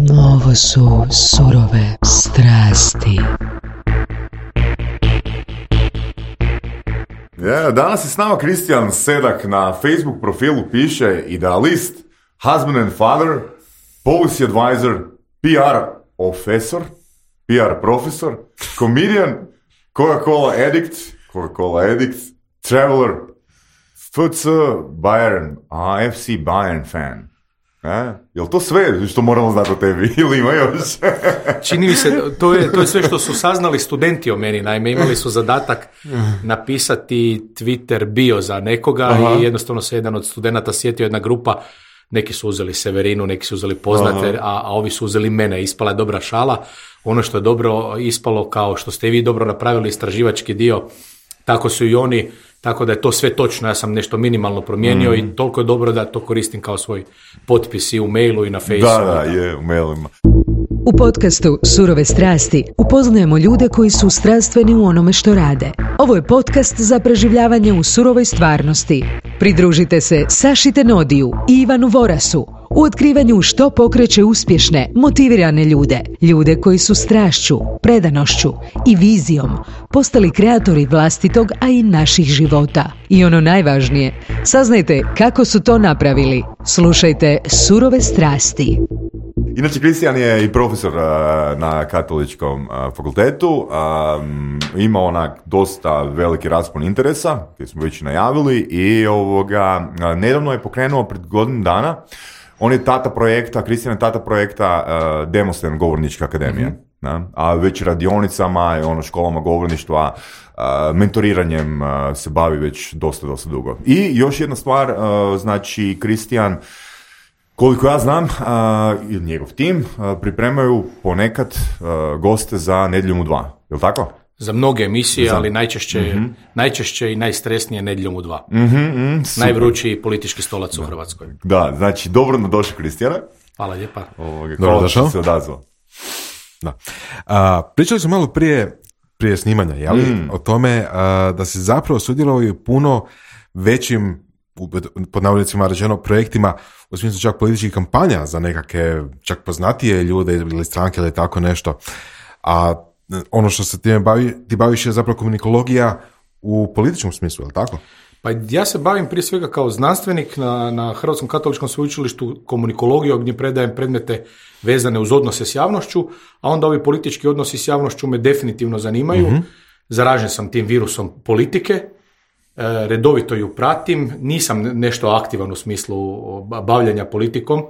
Ovo su surove strasti. Danas je s nama Kristijan Sedak. Na Facebook profilu piše idealist, husband and father, policy advisor, PR profesor, comedian, Coca-Cola addict, traveler, FC Bayern, FC Bayern fan. Jel to sve što moramo znati o tebi ili ima još? Čini mi se, to je sve što su saznali studenti o meni. Naime, imali su zadatak napisati Twitter bio za nekoga. Aha. I jednostavno se jedan od studenata sjetio, jedna grupa, neki su uzeli Severinu, neki su uzeli poznate, a ovi su uzeli mene. Ispala je dobra šala. Ono što je dobro ispalo, kao što ste vi dobro napravili istraživački dio, tako su i oni. Tako da je to sve točno, ja sam nešto minimalno promijenio i toliko je dobro da to koristim kao svoj potpis i u mailu i na Facebooku. Da, je, u mailima. U podcastu Surove strasti upoznajemo ljude koji su strastveni u onome što rade. Ovo je podcast za preživljavanje u surovoj stvarnosti. Pridružite se Saši Tenodiju i Ivanu Vorasu u otkrivanju što pokreće uspješne, motivirane ljude. Ljude koji su strašću, predanošću i vizijom postali kreatori vlastitog, a i naših života. I ono najvažnije, saznajte kako su to napravili. Slušajte Surove strasti. Inače, Kristijan je i profesor na katoličkom fakultetu. Ima onak dosta veliki raspon interesa, koji smo već najavili, i nedavno je pokrenuo pred godinu dana. On je tata projekta, Kristijan je tata projekta Demosthenes govorničke akademije. Mm-hmm. A već radionicama, školama govorništva, mentoriranjem se bavi već dosta dugo. I još jedna stvar, znači Kristijan, koliko ja znam, ili njegov tim, pripremaju ponekad goste za Nedjeljom u 2. Je li tako? Za mnoge emisije, ali najčešće i najstresnije Nedjeljom u 2. Najvrućiji politički stolac u Hrvatskoj. Da, znači dobro došao Kristijana. Hvala lijepa. Hvala što se odazvao. Da. Pričali smo malo prije snimanja, jeli? O tome da se zapravo sudjelovao u puno većim, pod navodnicima rečeno, projektima, u smislu čak političkih kampanja za nekakve čak poznatije ljude ili stranke ili tako nešto. A ono što se ti baviš je zapravo komunikologija u političkom smislu, je li tako? Pa ja se bavim prije svega kao znanstvenik na Hrvatskom katoličkom sveučilištu komunikologiju, gdje predajem predmete vezane uz odnose s javnošću, a onda ovi politički odnosi s javnošću me definitivno zanimaju. Zaražen sam tim virusom politike, redovito ju pratim, nisam nešto aktivan u smislu bavljanja politikom,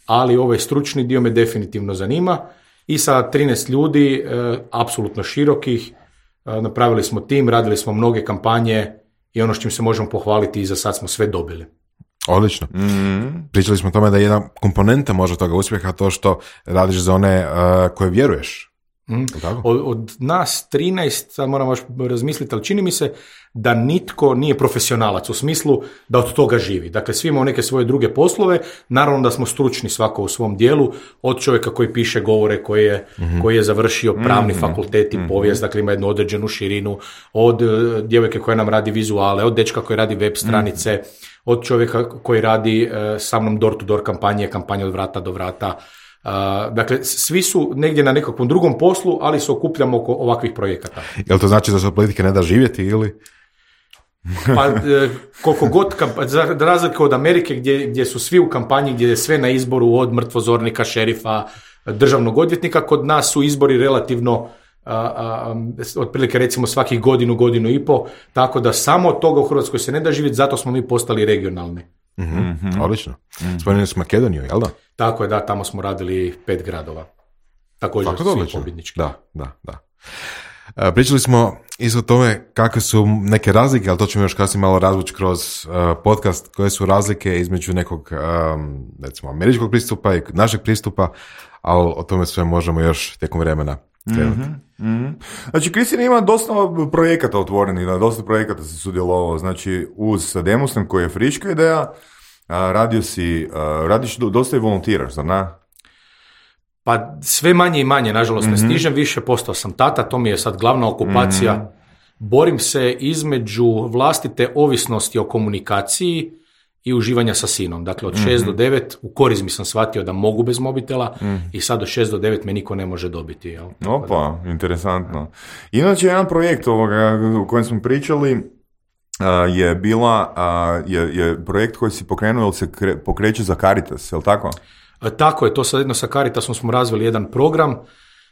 ali ovaj stručni dio me definitivno zanima. I sa 13 ljudi, apsolutno širokih, napravili smo tim, radili smo mnoge kampanje i ono s čim se možemo pohvaliti i za sad smo sve dobili. Odlično. Pričali smo o tome da je jedna komponenta možda toga uspjeha to što radiš za one koje vjeruješ. Od nas 13, sad moram baš razmisliti, ali čini mi se da nitko nije profesionalac u smislu da od toga živi. Dakle, svi imamo neke svoje druge poslove, naravno da smo stručni svako u svom dijelu, od čovjeka koji piše govore, koji je završio pravni fakultet i povijest, dakle ima jednu određenu širinu, od djevojke koja nam radi vizuale, od dečka koji radi web stranice, od čovjeka koji radi sa mnom door-to-door kampanje od vrata do vrata. Dakle, svi su negdje na nekakvom drugom poslu, ali se okupljamo oko ovakvih projekata. Jel to znači da se od politike ne da živjeti ili? Pa koliko god, za razliku od Amerike gdje su svi u kampanji, gdje je sve na izboru od mrtvozornika, šerifa, državnog odvjetnika, kod nas su izbori relativno otprilike recimo svakih godinu i po, tako da samo od toga u Hrvatskoj se ne da živjeti, zato smo mi postali regionalni. Odlično. Spomenuli smo Makedoniju, jel da? Tako je, da, tamo smo radili 5 gradova. Također svi pobjednički. Da. Pričali smo isto o tome kakve su neke razlike, ali to ćemo još kasnije malo razvući kroz podcast, koje su razlike između nekog, recimo, američkog pristupa i našeg pristupa, ali o tome sve možemo još tijekom vremena krenuti. Znači, Kristijan ima dosta projekata otvorenih, dosta projekata si sudjelovao, znači uz Demosthenes koji je friška ideja, radiš dosta i volontiraš, zar ne? Pa sve manje i manje, nažalost ne stižem više, postao sam tata, to mi je sad glavna okupacija. Borim se između vlastite ovisnosti o komunikaciji i uživanja sa sinom. Dakle, od 6 do 9 u Korizmi sam shvatio da mogu bez mobitela i sad od 6 do 9 me niko ne može dobiti. Jel? Opa, interesantno. Inače, jedan projekt o kojem smo pričali je projekt koji si pokrenuo, ili se pokreće za Caritas, je li tako? Tako je, to sad jedno sa Caritasom smo razvili jedan program.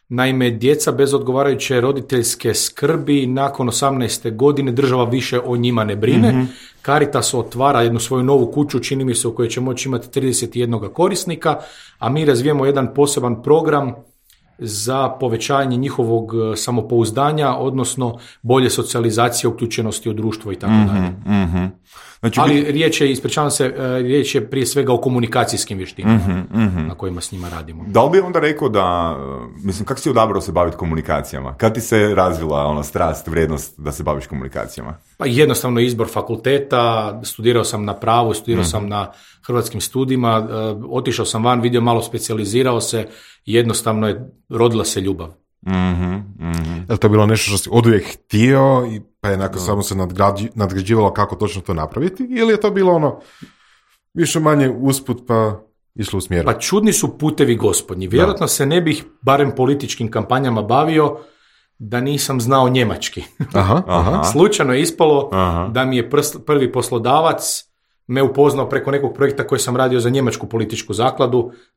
Naime, djeca bez odgovarajuće roditeljske skrbi nakon 18. godine država više o njima ne brine. Caritas otvara jednu svoju novu kuću, čini mi se, u kojoj će moći imati 31 korisnika, a mi razvijemo jedan poseban program za povećanje njihovog samopouzdanja, odnosno bolje socijalizacije, uključenosti u društvo i tako dalje. Znači, ali riječ je prije svega o komunikacijskim vještinama na kojima s njima radimo. Da li bi onda rekao da, mislim, kako si odabrao se baviti komunikacijama? Kad ti se razvila strast, vrijednost da se baviš komunikacijama? Pa jednostavno izbor fakulteta, studirao sam na pravu, studirao sam na hrvatskim studijima, otišao sam van, vidio malo, specijalizirao se i jednostavno je rodila se ljubav. Je li to bilo nešto što si oduvijek htio pa je nakon samo se nadgrađivalo kako točno to napraviti, ili je to bilo više manje usput pa išlo u smjeru? Pa čudni su putevi gospodnji. Vjerojatno se ne bih barem političkim kampanjama bavio da nisam znao njemački. Slučajno je ispalo da mi je prvi poslodavac me upoznao preko nekog projekta koji sam radio za njemačku političku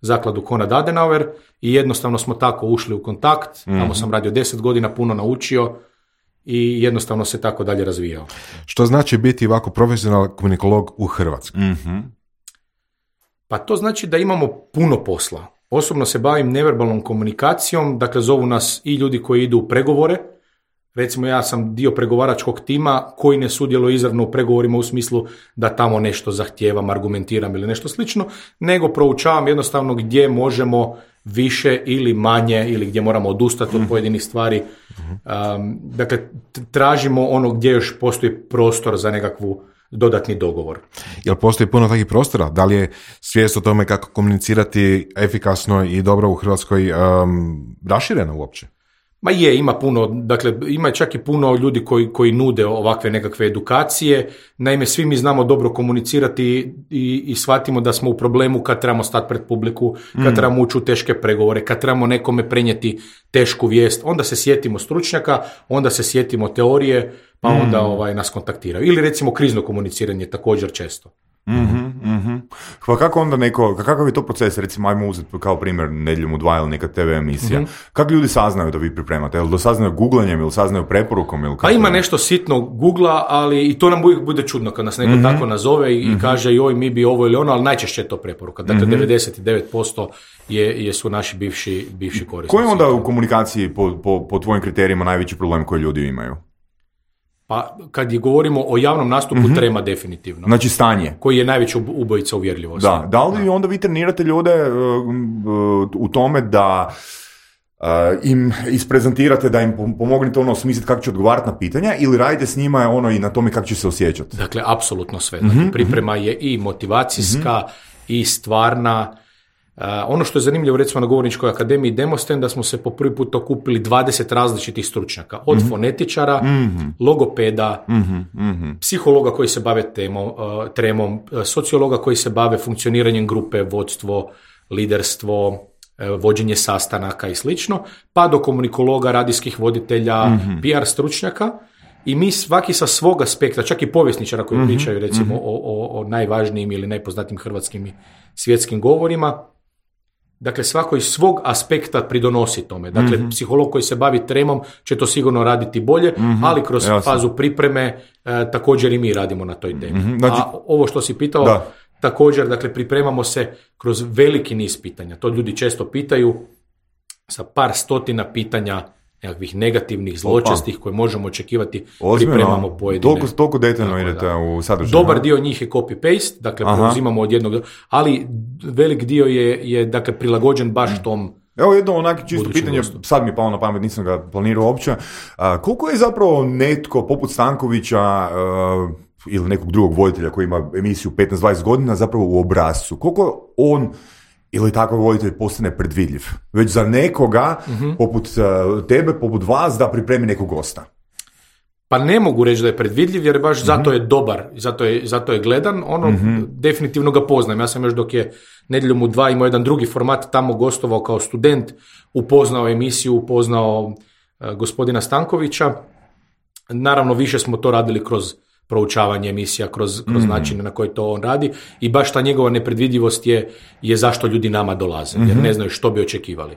zakladu Konrad Adenauer, i jednostavno smo tako ušli u kontakt. Tamo sam radio 10 godina, puno naučio i jednostavno se tako dalje razvijao. Što znači biti ovako profesionalan komunikolog u Hrvatskoj? Pa to znači da imamo puno posla. Osobno se bavim neverbalnom komunikacijom, dakle zovu nas i ljudi koji idu u pregovore. Recimo, ja sam dio pregovaračkog tima koji ne sudjeluje izravno u pregovorima u smislu da tamo nešto zahtijevam, argumentiram ili nešto slično, nego proučavam jednostavno gdje možemo više ili manje, ili gdje moramo odustati od pojedinih stvari. Dakle, tražimo ono gdje još postoji prostor za nekakvu dodatni dogovor. Jel postoji puno takvih prostora? Da li je svijest o tome kako komunicirati efikasno i dobro u Hrvatskoj raširena uopće? Ma ima puno, dakle ima čak i puno ljudi koji nude ovakve nekakve edukacije. Naime, svi mi znamo dobro komunicirati i shvatimo da smo u problemu kad trebamo stati pred publiku, kad trebamo ući u teške pregovore, kad trebamo nekome prenijeti tešku vijest. Onda se sjetimo stručnjaka, onda se sjetimo teorije, pa onda nas kontaktiraju. Ili recimo krizno komuniciranje također često. Pa kako onda kakav je to proces, recimo ajmo uzeti kao primjer Nedjeljom u 2 ili neka TV emisija, kako ljudi saznaju da vi pripremate, jel saznaju googlanjem ili saznaju preporukom? Ili pa ima nešto sitno googla, ali i to nam uvijek bude čudno kad nas neko tako nazove i kaže joj mi bi ovo ili ono, ali najčešće je to preporuka, dakle 99% su naši bivši korisnici. Koji je onda u komunikaciji po tvojim kriterijima najveći problem koji ljudi imaju? Pa kad govorimo o javnom nastupu, trema definitivno. Znači stanje. Koji je najveći ubojica uvjerljivosti. Da li onda vi trenirate ljude u tome da im isprezentirate, da im pomognete smisliti kako će odgovarati na pitanja, ili radite s njima i na tome kako će se osjećati? Dakle, apsolutno sve. Dakle, priprema je i motivacijska i stvarna. Ono što je zanimljivo, recimo na Govorničkoj akademiji Demosten, da smo se po prvi put okupili 20 različitih stručnjaka, od fonetičara, logopeda, psihologa koji se bave tremom, sociologa koji se bave funkcioniranjem grupe, vodstvo, liderstvo, vođenje sastanaka i slično, pa do komunikologa, radijskih voditelja, PR stručnjaka. I mi svaki sa svog aspekta, čak i povjesničara koji pričaju recimo o najvažnijim ili najpoznatijim hrvatskim i svjetskim govorima, dakle svako iz svog aspekta pridonosi tome. Dakle, psiholog koji se bavi tremom će to sigurno raditi bolje, ali kroz fazu pripreme također i mi radimo na toj temi. Znači, a ovo što si pitao, također, dakle, pripremamo se kroz veliki niz pitanja. To ljudi često pitaju, sa par stotina pitanja nekakvih negativnih, zločestih koje možemo očekivati, pripremamo pojedine. Toliko detaljno idete u sadržaju. Dobar dio njih je copy-paste, dakle preuzimamo od jednog, ali velik dio je dakle prilagođen baš tom. Evo jedno onako čisto pitanje, sad mi je palo na pamet, nisam ga planirao uopće. Koliko je zapravo netko poput Stankovića ili nekog drugog voditelja koji ima emisiju 15-20 godina zapravo u obrascu? Koliko on ili takav voditelj postane predvidljiv već za nekoga poput tebe, poput vas, da pripremi nekog gosta? Pa ne mogu reći da je predvidljiv, jer baš zato je dobar, zato je gledan, definitivno ga poznajem. Ja sam još dok je Nedjeljom u 2 imao jedan drugi format, tamo gostovao kao student, upoznao emisiju, upoznao gospodina Stankovića. Naravno, više smo to radili kroz proučavanje emisija, kroz načine na koji to on radi, i baš ta njegova nepredvidljivost je zašto ljudi nama dolaze, jer ne znaju što bi očekivali.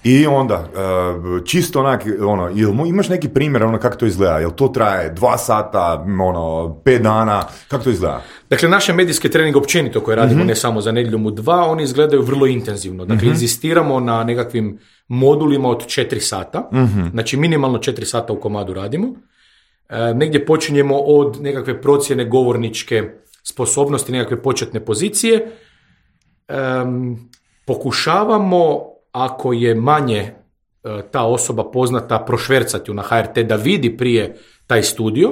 I onda, čisto onak, imaš neki primjer kako to izgleda? Jel to traje 2 sata, 5 dana, kako to izgleda? Dakle, naše medijske treninge općenito koje radimo, ne samo za Nedjeljom u 2, oni izgledaju vrlo intenzivno. Dakle, inzistiramo na nekakvim modulima od 4 sata, znači minimalno 4 sata u komadu radimo. Negdje počinjemo od nekakve procjene govorničke sposobnosti, nekakve početne pozicije. Pokušavamo, ako je manje ta osoba poznata, prošvercati na HRT da vidi prije taj studio,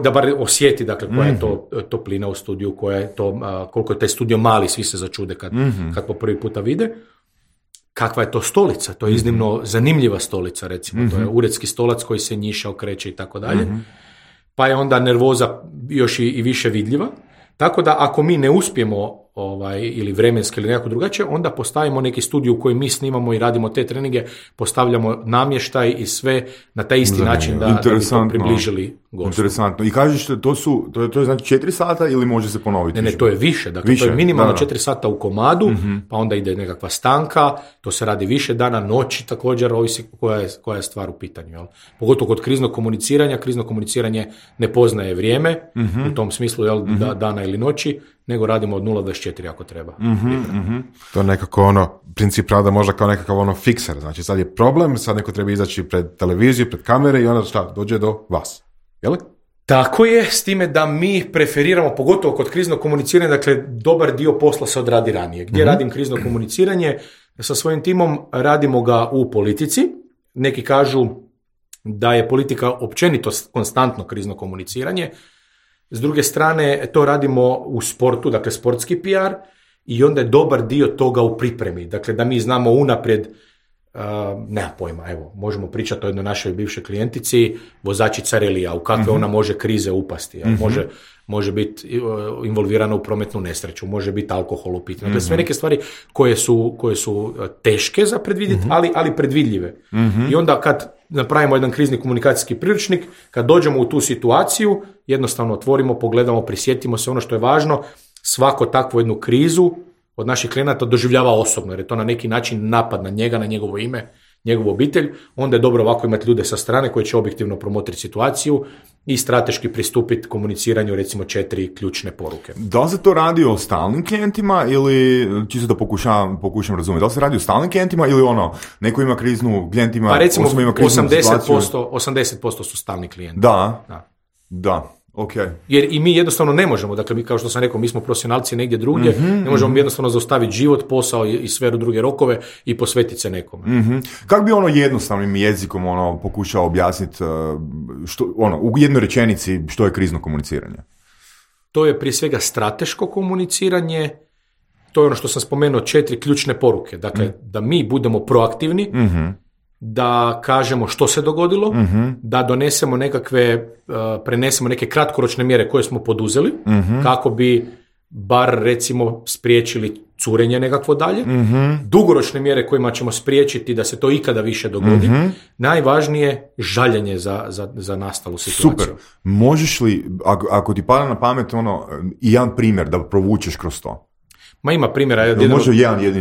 da bar osjeti, dakle, koja je to toplina u studiju, koliko je taj studio mali, svi se začude kad po prvi puta vide. Kakva je to stolica? To je iznimno zanimljiva stolica, recimo. To je uredski stolac koji se njiša, okreće i tako dalje. Pa je onda nervoza još i više vidljiva. Tako da ako mi ne uspijemo ili vremenski ili nekako drugačije, onda postavimo neki studij u kojem mi snimamo i radimo te treninge, postavljamo namještaj i sve na taj isti način da bi to približili gostu. Interesantno. I kažeš, to je znači 4 sata ili može se ponoviti? Ne, to je više. Dakle, to je minimalno 4 sata u komadu, pa onda ide nekakva stanka, to se radi više dana, noći također, ovisi koja je stvar u pitanju. Jel? Pogotovo kod kriznog komuniciranje ne poznaje vrijeme, u tom smislu, dana ili noći, nego radimo od 0-24 ako treba. To je nekako princip rada možda kao nekakav fikser. Znači sad je problem, sad neko treba izaći pred televiziju, pred kamere i onda dođe do vas. Jel? Tako je, s time da mi preferiramo, pogotovo kod kriznog komuniciranja, dakle, dobar dio posla se odradi ranije. Gdje radim krizno komuniciranje? Sa svojim timom radimo ga u politici. Neki kažu da je politika općenito konstantno krizno komuniciranje. S druge strane, to radimo u sportu, dakle sportski PR, i onda je dobar dio toga u pripremi. Dakle, da mi znamo unaprijed, nema pojma, evo, možemo pričati o jednoj našoj bivšoj klijentici, vozačica relija, u kakve ona može krize upasti. Može biti involvirana u prometnu nesreću, može biti alkohol u pitanju. Dakle, sve neke stvari koje su teške za predvidjeti, ali predvidljive. I onda kad napravimo jedan krizni komunikacijski priručnik, kad dođemo u tu situaciju, jednostavno otvorimo, pogledamo, prisjetimo se ono što je važno. Svako takvu jednu krizu od naših klijenata doživljava osobno, jer je to na neki način napad na njega, na njegovo ime, njegovu obitelj. Onda je dobro ovako imati ljude sa strane koji će objektivno promotriti situaciju i strateški pristupiti komuniciranju, recimo 4 ključne poruke. Da li se to radi o stalnim klijentima ili, čisto da pokušam razumjeti, da li se radi o stalnim klijentima ili neko ima kriznu, klijent ima, pa recimo ima kriznu 80% su stalni klijenti. Da. Okay. Jer i mi jednostavno ne možemo, dakle mi, kao što sam rekao, mi smo profesionalci negdje drugdje, ne možemo jednostavno zaustaviti život, posao i sferu druge rokove i posvetiti se nekome. Kako bi jednostavnim jezikom pokušao objasniti u jednoj rečenici što je krizno komuniciranje? To je prije svega strateško komuniciranje, to je ono što sam spomenuo, 4 ključne poruke, dakle da mi budemo proaktivni, da kažemo što se dogodilo, da donesemo prenesemo neke kratkoročne mjere koje smo poduzeli, kako bi bar recimo spriječili curenje nekakvo dalje, dugoročne mjere kojima ćemo spriječiti da se to ikada više dogodi, najvažnije žaljenje za nastalu situaciju. Super. Možeš li, ako ti pada na pamet jedan primjer da provučeš kroz to? Ma ima primjera,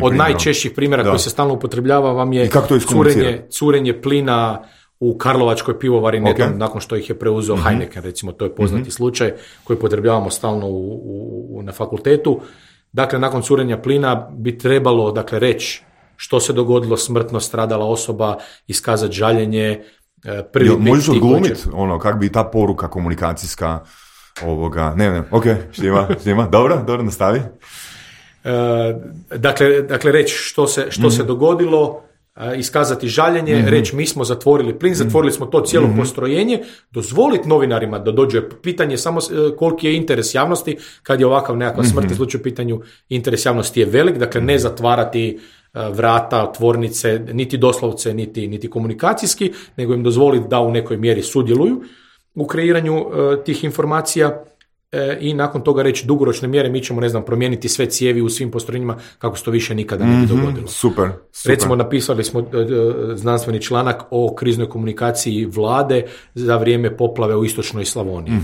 od najčešćih primjera koji se stalno upotrebljava vam je curenje plina u Karlovačkoj pivovari nakon što ih je preuzeo Heineken, recimo, to je poznati slučaj koji upotrebljavamo stalno na fakultetu. Dakle, nakon curenja plina bi trebalo, reći što se dogodilo, smrtno stradala osoba, iskazati žaljenje. Možeš odglumiti kako bi ta poruka komunikacijska štima. Dobro, nastavi. Dakle, reći što se dogodilo, iskazati žaljenje, reći mi smo zatvorili plin, zatvorili smo to cijelo postrojenje, dozvoliti novinarima da dođe pitanje samo koliki je interes javnosti, kad je ovakav nekakva smrt slučaj u pitanju, interes javnosti je velik, dakle ne zatvarati vrata, tvornice, niti doslovce, niti komunikacijski, nego im dozvoliti da u nekoj mjeri sudjeluju u kreiranju tih informacija i nakon toga reći dugoročne mjere, mi ćemo, ne znam, promijeniti sve cijevi u svim postrojenjima kako se to više nikada ne bi dogodilo. Super. Recimo, napisali smo znanstveni članak o kriznoj komunikaciji vlade za vrijeme poplave u istočnoj Slavoniji.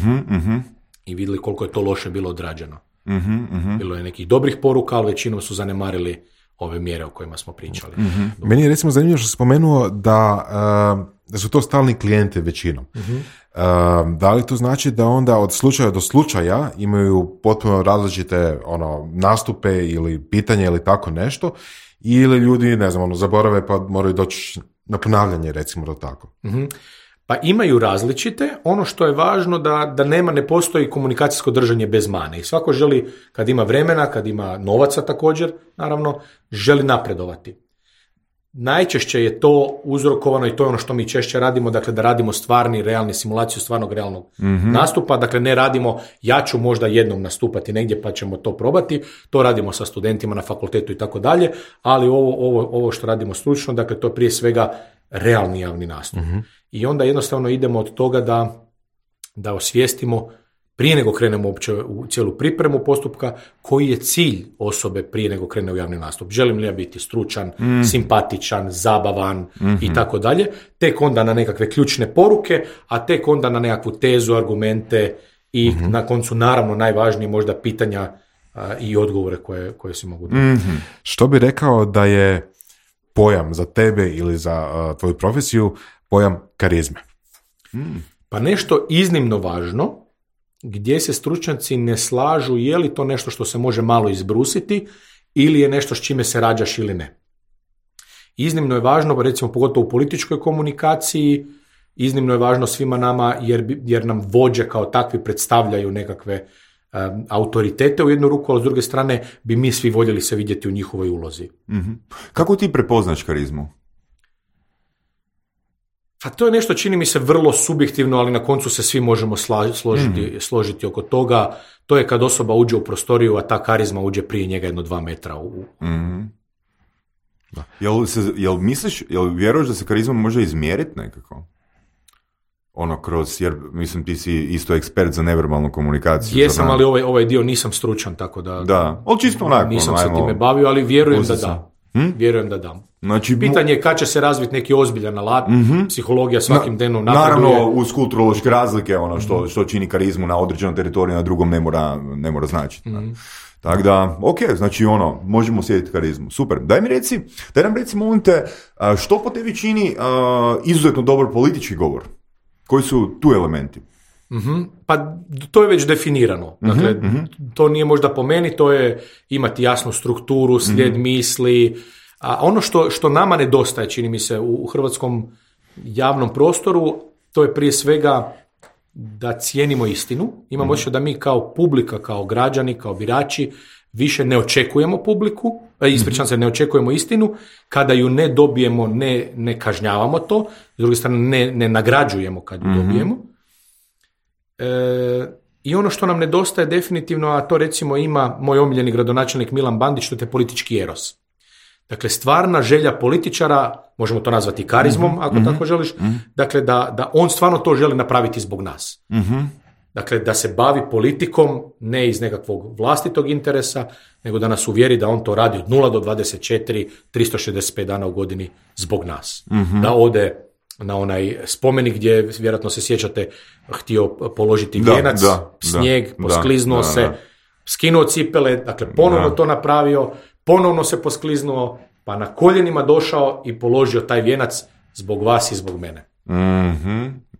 I vidjeli koliko je to loše bilo odrađeno. Bilo je nekih dobrih poruka, ali većinom su zanemarili ove mjere o kojima smo pričali. Meni je recimo zanimljivo što si spomenuo da su to stalni klijenti većinom. Da li to znači da onda od slučaja do slučaja imaju potpuno različite nastupe ili pitanje ili tako nešto, ili ljudi, ne znam, zaborave pa moraju doći na ponavljanje, recimo da tako? Pa imaju različite. Ono što je važno da ne postoji komunikacijsko držanje bez mane. I svako želi, kad ima vremena, kad ima novaca također, naravno, želi napredovati. Najčešće je to uzrokovano, i to je ono što mi češće radimo, dakle da radimo stvarni, realni simulaciju stvarnog realnog nastupa, dakle ne radimo ja ću možda jednom nastupati negdje pa ćemo to probati, to radimo sa studentima na fakultetu i tako dalje, ali ovo što radimo stručno, dakle to je prije svega realni javni nastup. I onda jednostavno idemo od toga da osvijestimo prije nego krenemo uopće u cijelu pripremu postupka, koji je cilj osobe prije nego krene u javni nastup. Želim li ja biti stručan, simpatičan, zabavan i tako dalje. Tek onda na nekakve ključne poruke, a tek onda na nekakvu tezu, argumente i na koncu naravno najvažnije možda pitanja i odgovore koje si mogu dati. Što bi rekao da je pojam za tebe ili za tvoju profesiju pojam karizme? Pa nešto iznimno važno, gdje se stručnjaci ne slažu je li to nešto što se može malo izbrusiti ili je nešto s čime se rađaš ili ne. Iznimno je važno, recimo pogotovo u političkoj komunikaciji, iznimno je važno svima nama jer nam vođe kao takvi predstavljaju nekakve autoritete u jednu ruku, ali s druge strane bi mi svi voljeli se vidjeti u njihovoj ulozi. Kako ti prepoznaš karizmu? Pa to je nešto, čini mi se, vrlo subjektivno, ali na koncu se svi možemo složiti oko toga. To je kad osoba uđe u prostoriju, a ta karizma uđe prije njega 2 metra. Jel vjeruješ da se karizma može izmjeriti nekako? Jer mislim ti si isto ekspert za neverbalnu komunikaciju. Jesam, ali ovaj dio nisam stručan, tako da ali čisto onako, nisam se time bavio, ali vjerujem da da. Vjerujem da da. Znači, pitanje je kad će se razviti neki ozbiljan alat, psihologija svakim danom napreduje. Naravno, uz kulturološke razlike, što čini karizmu na određenom teritoriju, na drugom ne mora značiti. Tako da, ok, znači možemo sjediti karizmu. Super. Daj nam reci, molim te, što po tebi čini izuzetno dobar politički govor? Koji su tu elementi? Pa to je već definirano. Dakle, to nije možda po meni, to je imati jasnu strukturu, slijed misli. A ono što nama nedostaje, čini mi se, u hrvatskom javnom prostoru, to je prije svega da cijenimo istinu. Imamo osjećaj da mi kao publika, kao građani, kao birači, više ne očekujemo publiku, ne očekujemo istinu. Kada ju ne dobijemo, ne kažnjavamo to. S druge strane, ne nagrađujemo kad ju dobijemo. I ono što nam nedostaje definitivno, a to recimo ima moj omiljeni gradonačelnik Milan Bandić, to je politički eros. Dakle, stvarna želja političara, možemo to nazvati karizmom, ako tako želiš, dakle da on stvarno to želi napraviti zbog nas. Dakle, da se bavi politikom ne iz nekakvog vlastitog interesa, nego da nas uvjeri da on to radi od 0 do 24, 365 dana u godini zbog nas. Da ode na onaj spomenik gdje, vjerojatno se sjećate, htio položiti vijenac, snijeg, poskliznuo se, skinuo cipele, dakle ponovno to napravio, ponovno se poskliznuo, pa na koljenima došao i položio taj vijenac zbog vas i zbog mene.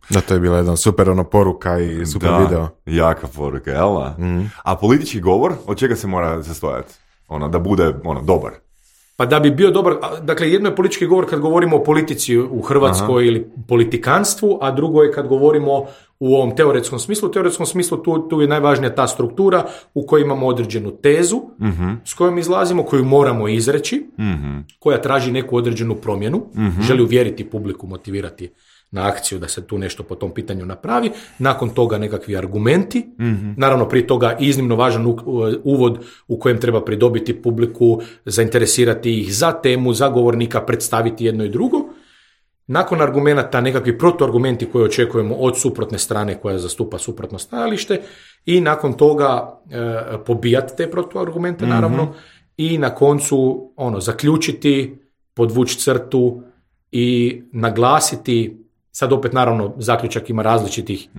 Da, to je bila jedna super poruka i super video. Jaka poruka, jel? A politički govor, od čega se mora sastojati? Da bude dobar. Pa da bi bio dobar, dakle jedno je politički govor kad govorimo o politici u Hrvatskoj ili politikanstvu, a drugo je kad govorimo u ovom teoretskom smislu. U teoretskom smislu tu je najvažnija ta struktura u kojoj imamo određenu tezu s kojom izlazimo, koju moramo izreći, koja traži neku određenu promjenu, želi uvjeriti publiku, motivirati na akciju da se tu nešto po tom pitanju napravi, nakon toga nekakvi argumenti, naravno prije toga iznimno važan uvod u kojem treba pridobiti publiku, zainteresirati ih za temu, za govornika, predstaviti jedno i drugo. Nakon argumenata nekakvi protuargumenti koje očekujemo od suprotne strane koja zastupa suprotno stajalište i nakon toga pobijati te protuargumente naravno i na koncu zaključiti, podvući crtu i naglasiti. Sad opet naravno zaključak ima različitih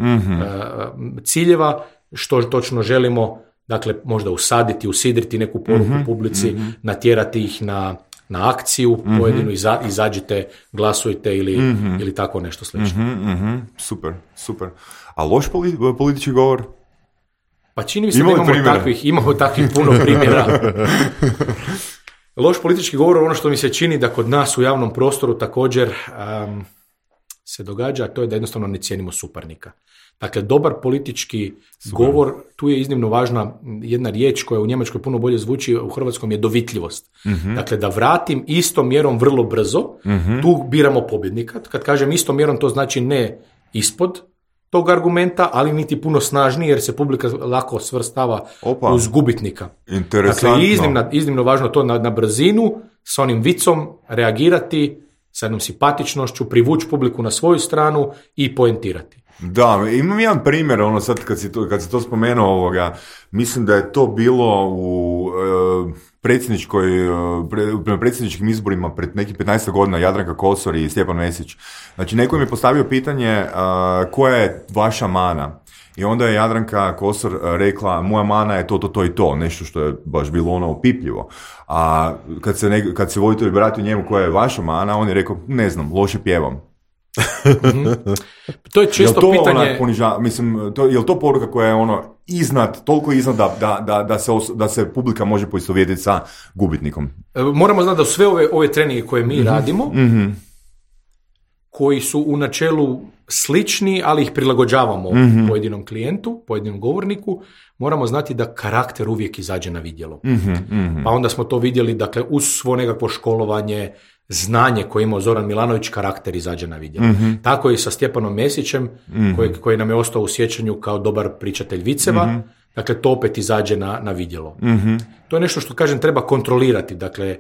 ciljeva, što točno želimo, dakle možda usaditi, usidriti neku poruku publici, natjerati ih na akciju pojedinu, izađite, glasujte ili tako nešto slično. Super. A loš politički govor? Pa čini mi se da imamo takvih puno primjera. Loš politički govor, ono što mi se čini da kod nas u javnom prostoru također se događa, a to je da jednostavno ne cijenimo suparnika. Dakle, dobar politički govor, tu je iznimno važna jedna riječ koja u Njemačkoj puno bolje zvuči, u hrvatskom je dovitljivost. Dakle, da vratim istom mjerom vrlo brzo, tu biramo pobjednika. Kad kažem istom mjerom, to znači ne ispod tog argumenta, ali niti puno snažniji, jer se publika lako svrstava uz gubitnika. Interesantno. Dakle, iznimno važno to na brzinu, s onim vicom reagirati, sa jednom simpatičnošću, privući publiku na svoju stranu i poentirati. Da, imam jedan primjer, sad kad si to spomenuo, mislim da je to bilo u predsjedničkim izborima pred nekih 15 godina, Jadranka Kosor i Stjepan Mesić. Znači, neko mi je postavio pitanje koja je vaša mana? I onda je Jadranka Kosor rekla, moja mana je to i to, nešto što je baš bilo opipljivo. A kad se voditelj vratio njemu koja je vaša mana, on je rekao, ne znam, loše pjevam. To je često pitanje... Je li to poruka koja je toliko iznad da se publika može poistovjetiti sa gubitnikom? Moramo znati da sve ove treninge koje mi radimo, koji su u načelu slični, ali ih prilagođavamo pojedinom klijentu, pojedinom govorniku, moramo znati da karakter uvijek izađe na vidjelo. Pa onda smo to vidjeli, dakle, uz svo nekakvo školovanje, znanje koje imao Zoran Milanović, karakter izađe na vidjelo. Tako i sa Stjepanom Mesićem, koji nam je ostao u sjećanju kao dobar pričatelj viceva, dakle, to opet izađe na vidjelo. To je nešto što, kažem, treba kontrolirati, dakle,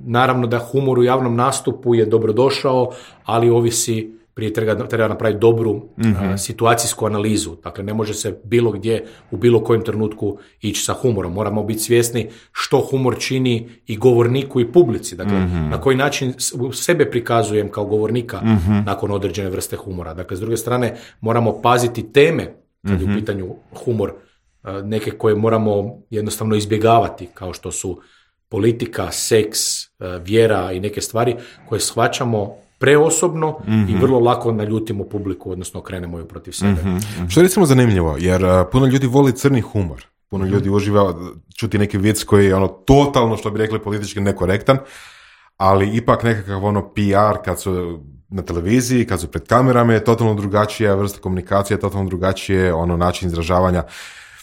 naravno da humor u javnom nastupu je dobrodošao, ali ovisi, prije treba napraviti dobru situacijsku analizu. Dakle, ne može se bilo gdje, u bilo kojem trenutku ići sa humorom. Moramo biti svjesni što humor čini i govorniku i publici. Dakle, na koji način sebe prikazujem kao govornika nakon određene vrste humora. Dakle, s druge strane, moramo paziti teme kad je u pitanju humor, neke koje moramo jednostavno izbjegavati, kao što su politika, seks, vjera i neke stvari koje shvaćamo preosobno i vrlo lako naljutimo publiku, odnosno okrenemo ju protiv sebe. Što je recimo zanimljivo, jer puno ljudi voli crni humor. Puno ljudi uživa čuti neki vic koji je totalno, što bi rekli, politički nekorektan, ali ipak nekakav PR kad su na televiziji, kad su pred kamerama, je totalno drugačija vrsta komunikacije, totalno drugačije način izražavanja.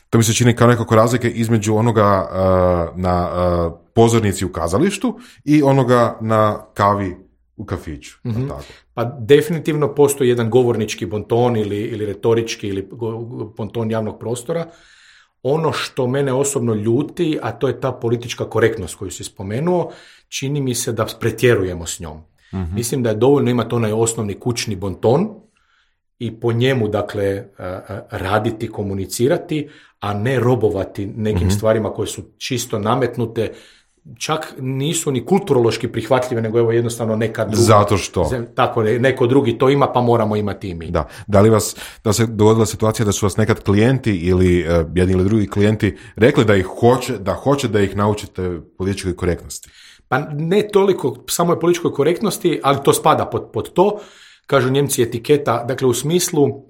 To mi se čini kao nekako razlike između onoga na pozornici u kazalištu i onoga na kavi u kafiću. Tako. Pa definitivno postoji jedan govornički bonton ili retorički ili bonton javnog prostora. Ono što mene osobno ljuti, a to je ta politička korektnost koju si spomenuo, čini mi se da pretjerujemo s njom. Mislim da je dovoljno imati onaj osnovni kućni bonton i po njemu, dakle, raditi, komunicirati, a ne robovati nekim stvarima koje su čisto nametnute, čak nisu ni kulturološki prihvatljive, nego evo jednostavno neka druga. Zato što? Tako, neko drugi to ima, pa moramo imati i mi. Da li da se dogodila situacija da su vas nekad klijenti ili jedni ili drugi klijenti rekli da hoće da ih naučite političkoj korektnosti? Pa ne toliko samo političkoj korektnosti, ali to spada pod to. Kažu Njemci etiketa, dakle u smislu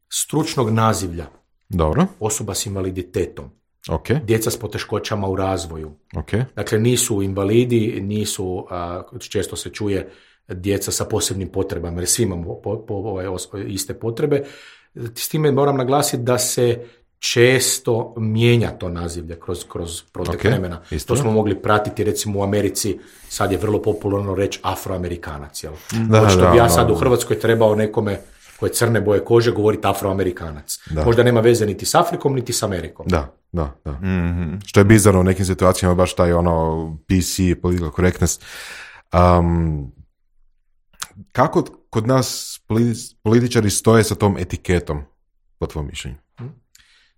stručnog nazivlja. Dobro. Osoba s invaliditetom. Okay. Djeca s poteškoćama u razvoju. Okay. Dakle, nisu invalidi, nisu, često se čuje, djeca sa posebnim potrebama, jer svi imamo iste potrebe. s time moram naglasiti da se često mijenja to nazivlje kroz protek vremena. To smo mogli pratiti recimo u Americi, sad je vrlo popularno reći Afroamerikanac. Jel? Očito bi ja sad u Hrvatskoj trebao nekome koje crne boje kože govoriti Afroamerikanac. Da. Možda nema veze niti s Afrikom, niti s Amerikom. Da. Mm-hmm. Što je bizarno u nekim situacijama, baš taj PC, political correctness. Kako kod nas političari stoje sa tom etiketom, po tvojom mišljenju?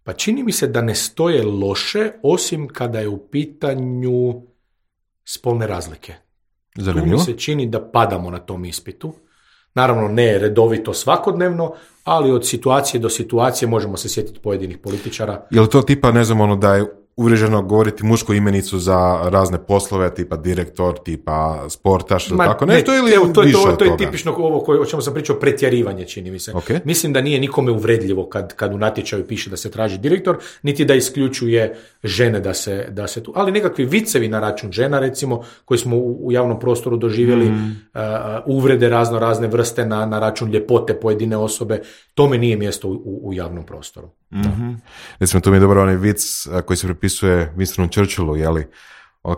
Pa čini mi se da ne stoje loše, osim kada je u pitanju spolne razlike. Zanimljivo. Tu mi se čini da padamo na tom ispitu. Naravno ne redovito svakodnevno, ali od situacije do situacije možemo se sjetiti pojedinih političara. Je li to tipa, ne znam, da je uvriježeno govoriti mušku imenicu za razne poslove, tipa direktor, tipa sportaš, ili tako nešto, ili više od toga? To je tipično ovo o čemu sam pričao, pretjerivanje, čini mi se. Okay. Mislim da nije nikome uvredljivo kad u natječaju piše da se traži direktor, niti da isključuje žene da se tu, ali nekakvi vicevi na račun žena, recimo, koji smo u javnom prostoru doživjeli, uvrede razne vrste na račun ljepote pojedine osobe, tome nije mjesto u javnom prostoru. Mm-hmm. Recimo, to mi je dobro onaj vic koji se prepisuje Winstonu Churchillu, jeli,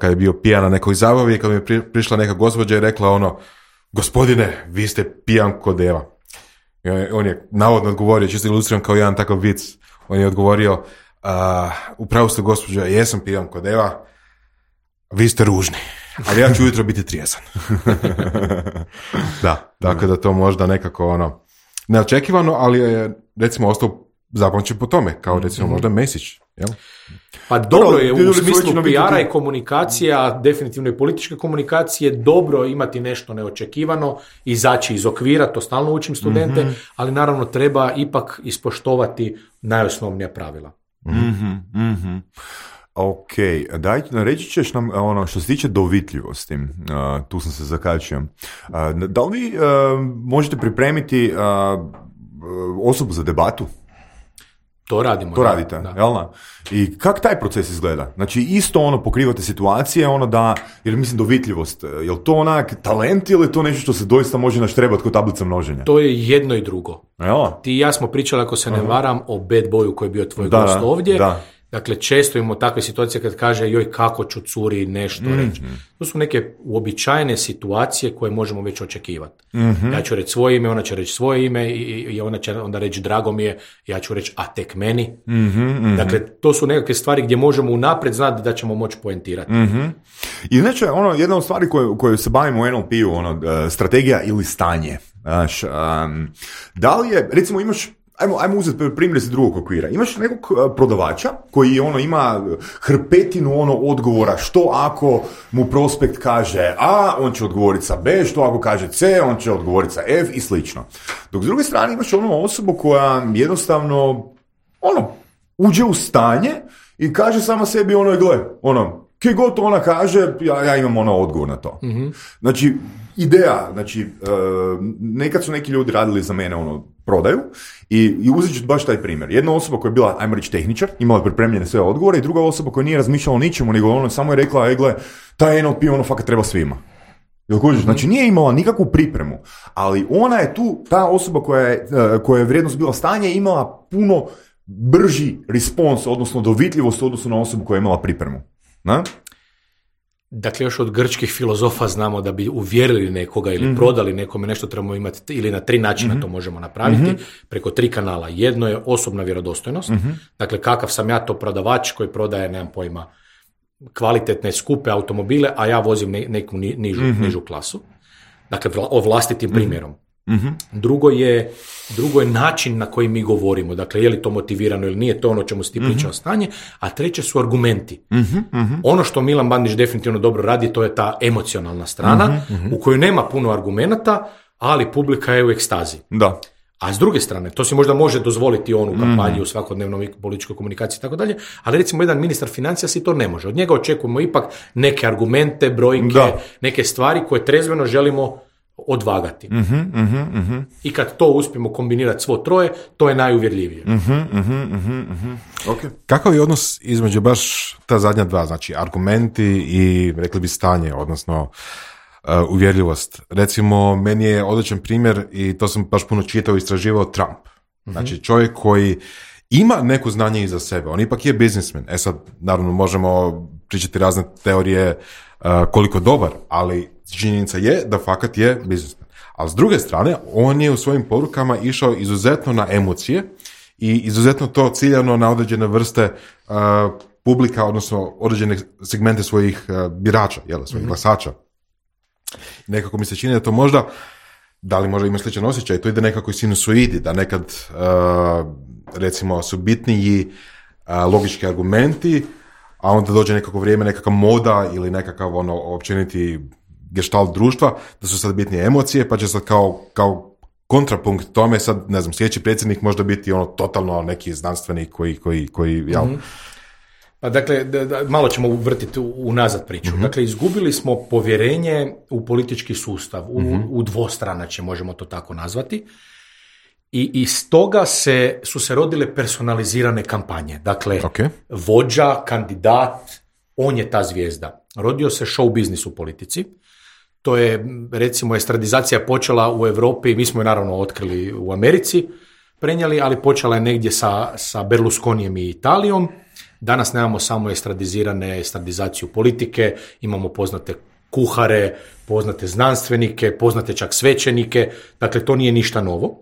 kad je bio pijan na nekoj zabavi, kad mi je prišla neka gospođa i rekla gospodine, vi ste pijan ko deva. I on je navodno odgovorio, čisto ilustriran kao jedan takav vic, on je odgovorio, upravo ste gospođa, jesam pijan ko deva, vi ste ružni, ali ja ću ujutro biti trijezan. Da, tako da to možda nekako neočekivano, ali je recimo ostao zapamćen po tome, kao recimo možda Mesić, jel? Pa dobro je u smislu PR-a i komunikacija, definitivno i političke komunikacije, dobro imati nešto neočekivano, izaći iz okvira, to stalno učim studente, ali naravno treba ipak ispoštovati najosnovnija pravila. Ok, daj, reći ćeš nam što se tiče dovitljivosti, tu sam se zakačio. Da li vi možete pripremiti osobu za debatu? To radimo. To radite, jel da? I kak taj proces izgleda? Znači, isto pokrivate situacije, jer mislim dovitljivost, je li to onak talent ili je to nešto što se doista može naštrebati kod tablica množenja? To je jedno i drugo. Jel? Ti i ja smo pričali, ako se ne varam, o Bad Boyu koji je bio tvoj gost ovdje. Da. Dakle, često imamo takve situacije kad kaže joj kako ću curi nešto reći. To su neke uobičajene situacije koje možemo već očekivati. Ja ću reći svoje ime, ona će reći svoje ime i ona će onda reći drago mi je, ja ću reći a tek meni. Dakle, to su nekakve stvari gdje možemo unaprijed znati da ćemo moći poentirati. I znači, jedna od stvari koje se bavimo u NLP-u, strategija ili stanje. Da li je, recimo imaš Ajmo uzeti primjer iz drugog okvira. Imaš nekog prodavača koji ima hrpetinu odgovora što ako mu prospekt kaže A, on će odgovoriti sa B, što ako kaže C, on će odgovoriti sa F i slično. Dok s druge strane imaš osobu koja jednostavno uđe u stanje i kaže sama sebi gle, kje god ona kaže, ja imam odgovor na to. Znači, ideja, nekad su neki ljudi radili za mene prodaju i uzet ću baš taj primjer. Jedna osoba koja je bila, ajmo reći, tehničar, imala pripremljene sve odgovore i druga osoba koja nije razmišljala o ničemu, nego samo je rekla, gle, taj NLP fakat treba svima. Znači nije imala nikakvu pripremu, ali ona je tu, ta osoba koja je vrijednost bila stanje, imala puno brži respons, odnosno dovitljivost u odnosu na osobu koja je imala pripremu. Na? Dakle, još od grčkih filozofa znamo da bi uvjerili nekoga ili prodali nekome nešto trebamo imati, ili na 3 načina to možemo napraviti, preko 3 kanala. Jedno je osobna vjerodostojnost, dakle kakav sam ja to prodavač koji prodaje, nemam pojma, kvalitetne, skupe automobile, a ja vozim neku nižu klasu. Dakle, o vlastitim primjerom. Drugo je način na koji mi govorimo, dakle je li to motivirano ili nije, to o čemu si ti pričao stanje, a treće su argumenti. Ono što Milan Bandić definitivno dobro radi, to je ta emocionalna strana u kojoj nema puno argumenata, ali publika je u ekstazi. Da. A s druge strane, to si možda može dozvoliti on u kampanji, u svakodnevnoj političkoj komunikaciji i tako dalje, ali recimo jedan ministar financija si to ne može. Od njega očekujemo ipak neke argumente, brojke, neke stvari koje trezveno želimo odvagati. I kad to uspijemo kombinirati svo troje, to je najuvjerljivije. Okay. Kakav je odnos između baš ta zadnja dva, znači argumenti i rekli bi stanje, odnosno uvjerljivost? Recimo, meni je odličan primjer i to sam baš puno čitao i istraživao Trump. Znači čovjek koji ima neko znanje iza sebe, on ipak je biznismen. Sad, naravno, možemo pričati razne teorije koliko dobar, ali činjenica je da fakat je biznismen. Ali s druge strane, on je u svojim porukama išao izuzetno na emocije i izuzetno to ciljano na određene vrste publika, odnosno određene segmente svojih birača, svojih glasača. Nekako mi se čini da to možda, da li možda ima sličan osjećaj, to ide nekako i sinusoidi, da nekad recimo su bitniji logički argumenti, a onda dođe nekako vrijeme, nekakva moda ili nekakav općeniti gestalt društva, da su sad bitnije emocije, pa će sad kao kontrapunkt tome sad, ne znam, sljedeći predsjednik možda biti totalno neki znanstvenik koji Pa dakle, malo ćemo uvrtiti unazad priču. Dakle, izgubili smo povjerenje u politički sustav, u dvostranačje, možemo to tako nazvati. I iz toga su se rodile personalizirane kampanje. Dakle, vođa, kandidat, on je ta zvijezda. Rodio se show biznis u politici. To je, recimo, estradizacija počela u Europi, mi smo je naravno otkrili u Americi, prenijeli, ali počela je negdje sa Berlusconijem i Italijom. Danas nemamo samo estradizaciju politike, imamo poznate kuhare, poznate znanstvenike, poznate čak svećenike, dakle to nije ništa novo.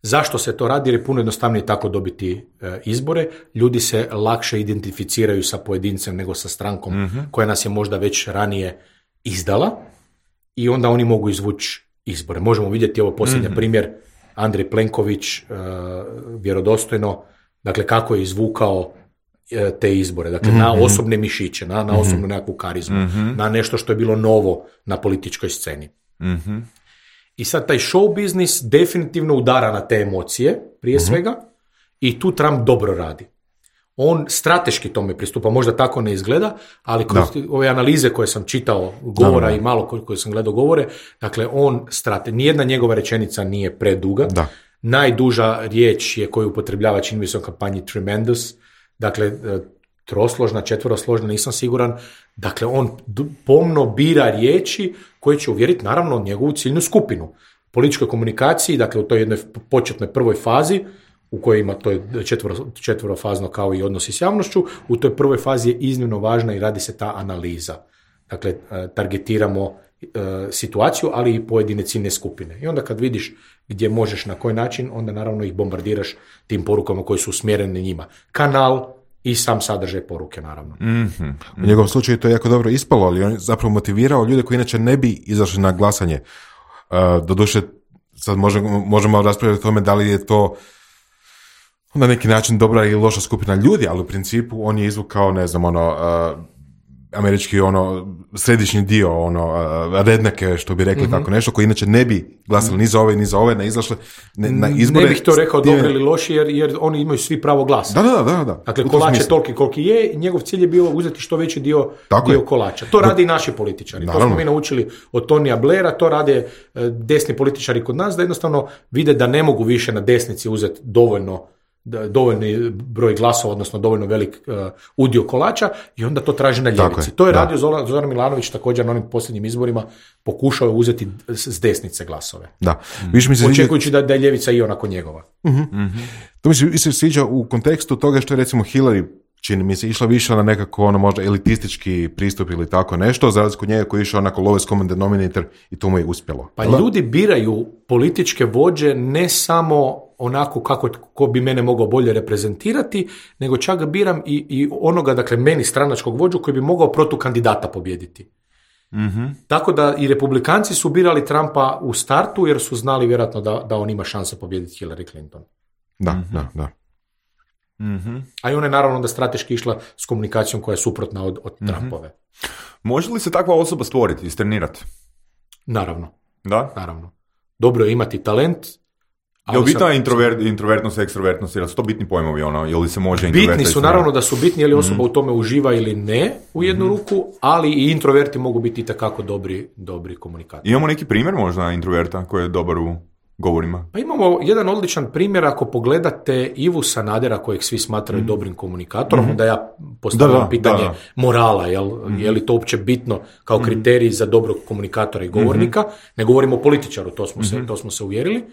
Zašto se to radi? Jer je puno jednostavnije tako dobiti izbore. Ljudi se lakše identificiraju sa pojedincem nego sa strankom koja nas je možda već ranije izdala i onda oni mogu izvući izbore. Možemo vidjeti ovo posljednji primjer, Andrej Plenković, vjerodostojno, dakle kako je izvukao te izbore, dakle na osobne mišiće, na osobnu nekakvu karizmu, na nešto što je bilo novo na političkoj sceni. I sad taj show biznis definitivno udara na te emocije, prije svega, i tu Trump dobro radi. On strateški tome pristupa, možda tako ne izgleda, ali kroz ove analize koje sam čitao govora i malo koje sam gledao govore, dakle nijedna njegova rečenica nije preduga. Najduža riječ je koju upotrebljava, čini mi se u kampanji, tremendous, dakle trosložna, četverosložna, nisam siguran. Dakle, on pomno bira riječi koje će uvjeriti naravno njegovu ciljnu skupinu. U političkoj komunikaciji, dakle u toj jednoj početnoj prvoj fazi, u kojoj ima to je četverofazno kao i odnosi s javnošću, u toj prvoj fazi je iznimno važna i radi se ta analiza. Dakle, targetiramo situaciju, ali i pojedine ciljne skupine. I onda kad vidiš gdje možeš na koji način, onda naravno ih bombardiraš tim porukama koje su usmjerene njima. Kanal i sam sadržaj poruke, naravno. U njegovom slučaju to je jako dobro ispalo, ali on je zapravo motivirao ljude koji inače ne bi izašli na glasanje. Doduše, sad možemo raspravljati o tome da li je to na neki način dobra ili loša skupina ljudi, ali u principu on je izvukao, ne znam, američki središnji dio, redneke, što bi rekli tako nešto, koji inače ne bi glasali ni za ove, ne izašli na izbore. Ne bih to rekao dobro ili loši, jer oni imaju svi pravo glasa. Da. Dakle, kolač je toliki koliki je, njegov cilj je bilo uzeti što veći dio kolača. To rade i naši političari. Naravno. To smo mi naučili od Tonija Blaira, to rade desni političari kod nas, da jednostavno vide da ne mogu više na desnici uzeti dovoljni broj glasova, odnosno dovoljno velik udio kolača i onda to traži na ljevici. To je radio Zoran Milanović također na onim posljednjim izborima, pokušao je uzeti s desnice glasove. Očekujući da je ljevica i onako njegova. To mi se sviđa u kontekstu toga što je recimo Hillary, čini mi se, išla više na nekako možda elitistički pristup ili tako nešto, za razliku od njega koji je išao onako lowest common denominator i to mu je uspjelo. Pa ljudi biraju političke vođe ne samo onako ko bi mene mogao bolje reprezentirati, nego čak ga biram i onoga, dakle meni stranačkog vođu koji bi mogao protukandidata pobijediti. Tako da i republikanci su birali Trumpa u startu jer su znali vjerojatno da on ima šanse pobijediti Hillary Clinton. Da. A i ona je naravno onda strateški išla s komunikacijom koja je suprotna od Trumpove. Može li se takva osoba stvoriti, istrenirati? Naravno. Da? Naravno. Dobro je imati talent. Je li bitna introvertnost, ekstrovertnost, ili su to bitni pojmovi, ili se može introvertiti? Bitni su, naravno da su bitni, je li osoba u tome uživa ili ne u jednu ruku, ali i introverti mogu biti itekako dobri komunikatori. Imamo neki primjer možda introverta koji je dobar u govorima? Pa imamo jedan odličan primjer, ako pogledate Ivu Sanadera, kojeg svi smatraju dobrim komunikatorom, onda ja postavljam pitanje morala, je li to uopće bitno kao kriterij za dobrog komunikatora i govornika, ne govorimo o političaru, to smo se uvjerili.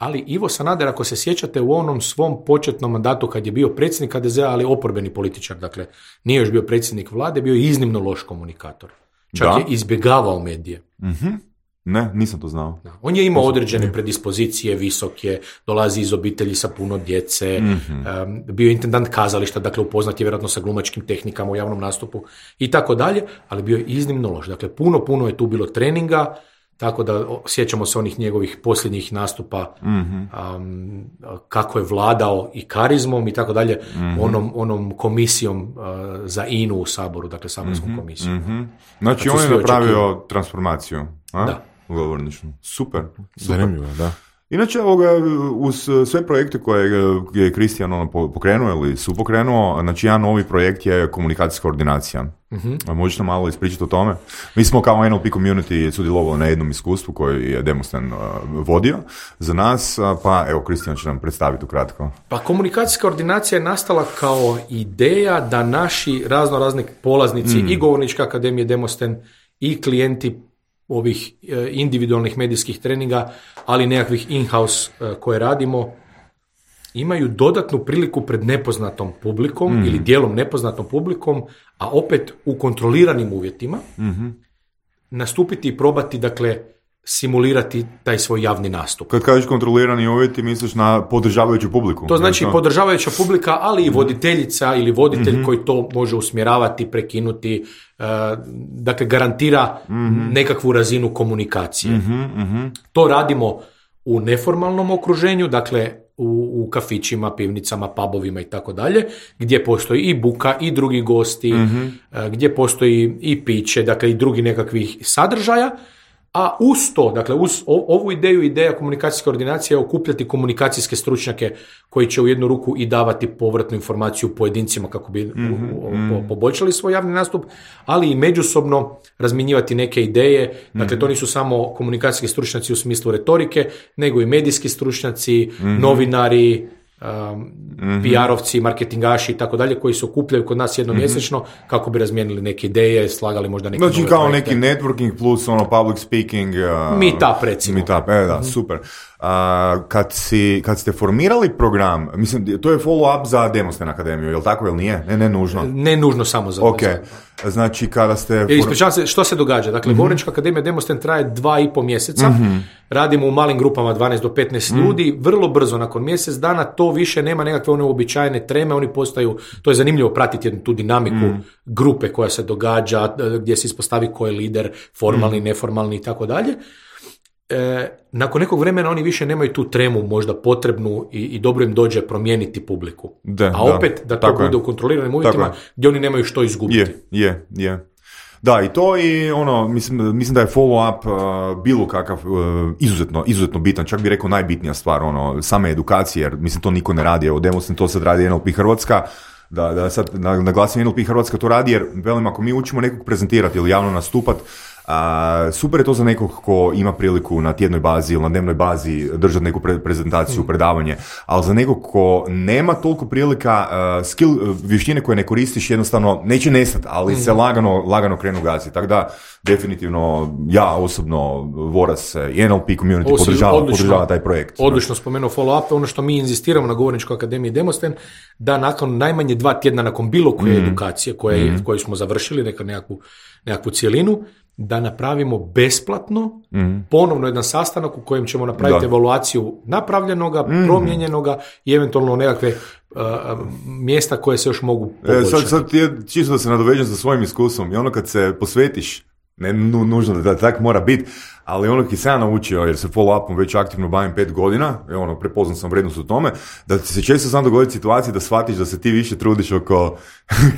ali Ivo Sanader, ako se sjećate, u onom svom početnom mandatu kad je bio predsjednik HDZ-a, ali oporbeni političar, dakle nije još bio predsjednik vlade, bio je iznimno loš komunikator. Čak je izbjegavao medije. Ne, nisam to znao. Da. On je imao određene predispozicije, visok je, dolazi iz obitelji sa puno djece, bio je intendant kazališta, dakle upoznat je vjerojatno sa glumačkim tehnikama u javnom nastupu i tako dalje, ali bio je iznimno loš. Dakle, puno je tu bilo treninga, tako da sjećamo se onih njegovih posljednjih nastupa, kako je vladao i karizmom i tako dalje, onom komisijom za INU u Saboru, dakle saborskom komisijom. Znači on je napravio transformaciju, a? Da. Govorničnu. Super. Zanimljivo, da. Inače, uz sve projekte koje je Kristijan pokrenuo ili su pokrenuo, znači jedan novi projekt je komunikacijska koordinacija. Možeš nam malo ispričati o tome? Mi smo kao NLP community sudjelovali na jednom iskustvu koji je Demostan vodio za nas, pa evo Kristijan će nam predstaviti ukratko. Pa komunikacijska koordinacija je nastala kao ideja da naši razni polaznici i Govorničke akademije Demostan i klijenti ovih individualnih medijskih treninga, ali nekakvih in-house koje radimo, imaju dodatnu priliku pred nepoznatom publikom ili dijelom nepoznatom publikom, a opet u kontroliranim uvjetima, nastupiti i probati, dakle, simulirati taj svoj javni nastup. Kad kažeš kontrolirani uvjeti, misliš na podržavajuću publiku? To znači podržavajuća publika, ali i voditeljica ili voditelj koji to može usmjeravati, prekinuti, dakle garantira nekakvu razinu komunikacije. To radimo u neformalnom okruženju, dakle u kafićima, pivnicama, pubovima i tako dalje, gdje postoji i buka i drugi gosti, gdje postoji i piće, dakle i drugi nekakvih sadržaja. A uz to, dakle, uz ovu ideja komunikacijske koordinacije je okupljati komunikacijske stručnjake koji će u jednu ruku i davati povratnu informaciju pojedincima kako bi poboljšali svoj javni nastup, ali i međusobno razmjenjivati neke ideje. Dakle, to nisu samo komunikacijski stručnjaci u smislu retorike, nego i medijski stručnjaci, novinari, PR-ovci, marketingaši i tako dalje, koji se okupljaju kod nas jednomjesečno kako bi razmijenili neke ideje, slagali možda neke znači nove kao projekte. neki networking plus public speaking. Meetup, recimo. Meetup, da, super. Kad ste formirali program, mislim, to je follow-up za Demostan akademiju, je li tako ili nije? Ne nužno. Ne nužno samo za Ok, znači kada ste... Ispričavam se, što se događa? Dakle, Govornička akademija Demostan traje 2,5 mjeseca, radimo u malim grupama 12 do 15 ljudi, vrlo brzo nakon mjesec dana to više nema nekakve one uobičajene treme, oni postaju, to je zanimljivo pratiti jednu tu dinamiku grupe koja se događa, gdje se ispostavi ko je lider, formalni, neformalni i tako dalje. Nakon nekog vremena oni više nemaju tu tremu možda potrebnu i dobro im dođe promijeniti publiku. Opet da to bude u kontroliranim uvjetima gdje oni nemaju što izgubiti. Je. Da, i to i mislim da je follow-up bilo kakav izuzetno bitan, čak bih rekao najbitnija stvar, same edukacije, jer mislim to niko ne radi, evo Demostan to sad radi NLP Hrvatska, da sad naglasim NLP Hrvatska to radi, jer velim ako mi učimo nekog prezentirati ili javno nastupat, super je to za nekog ko ima priliku na tjednoj bazi ili na dnevnoj bazi držati neku prezentaciju, predavanje, ali za nekog ko nema toliko prilika, vještine koje ne koristiš jednostavno neće nestati, ali se lagano krenu gaziti. Tako da definitivno ja osobno Voras i NLP community podržava taj projekt. Odlično spomenuo follow-up, ono što mi inzistiramo na Govorničkoj akademiji Demostan, da nakon najmanje 2 tjedna nakon bilo koje edukacije koju smo završili, nekakvu cijelinu, da napravimo besplatno ponovno jedan sastanak u kojem ćemo napraviti evaluaciju napravljenoga, promijenjenoga i eventualno nekakve mjesta koje se još mogu poboljšati. Sad čisto da se nadovežem sa svojim iskustvom i kad se posvetiš, ne nužno da tako mora biti, ali ki sam ja naučio, jer se follow-upom već aktivno bavim 5 godina, prepoznao sam vrednost u tome, da ti se često sam dogoditi situacije da shvatiš da se ti više trudiš oko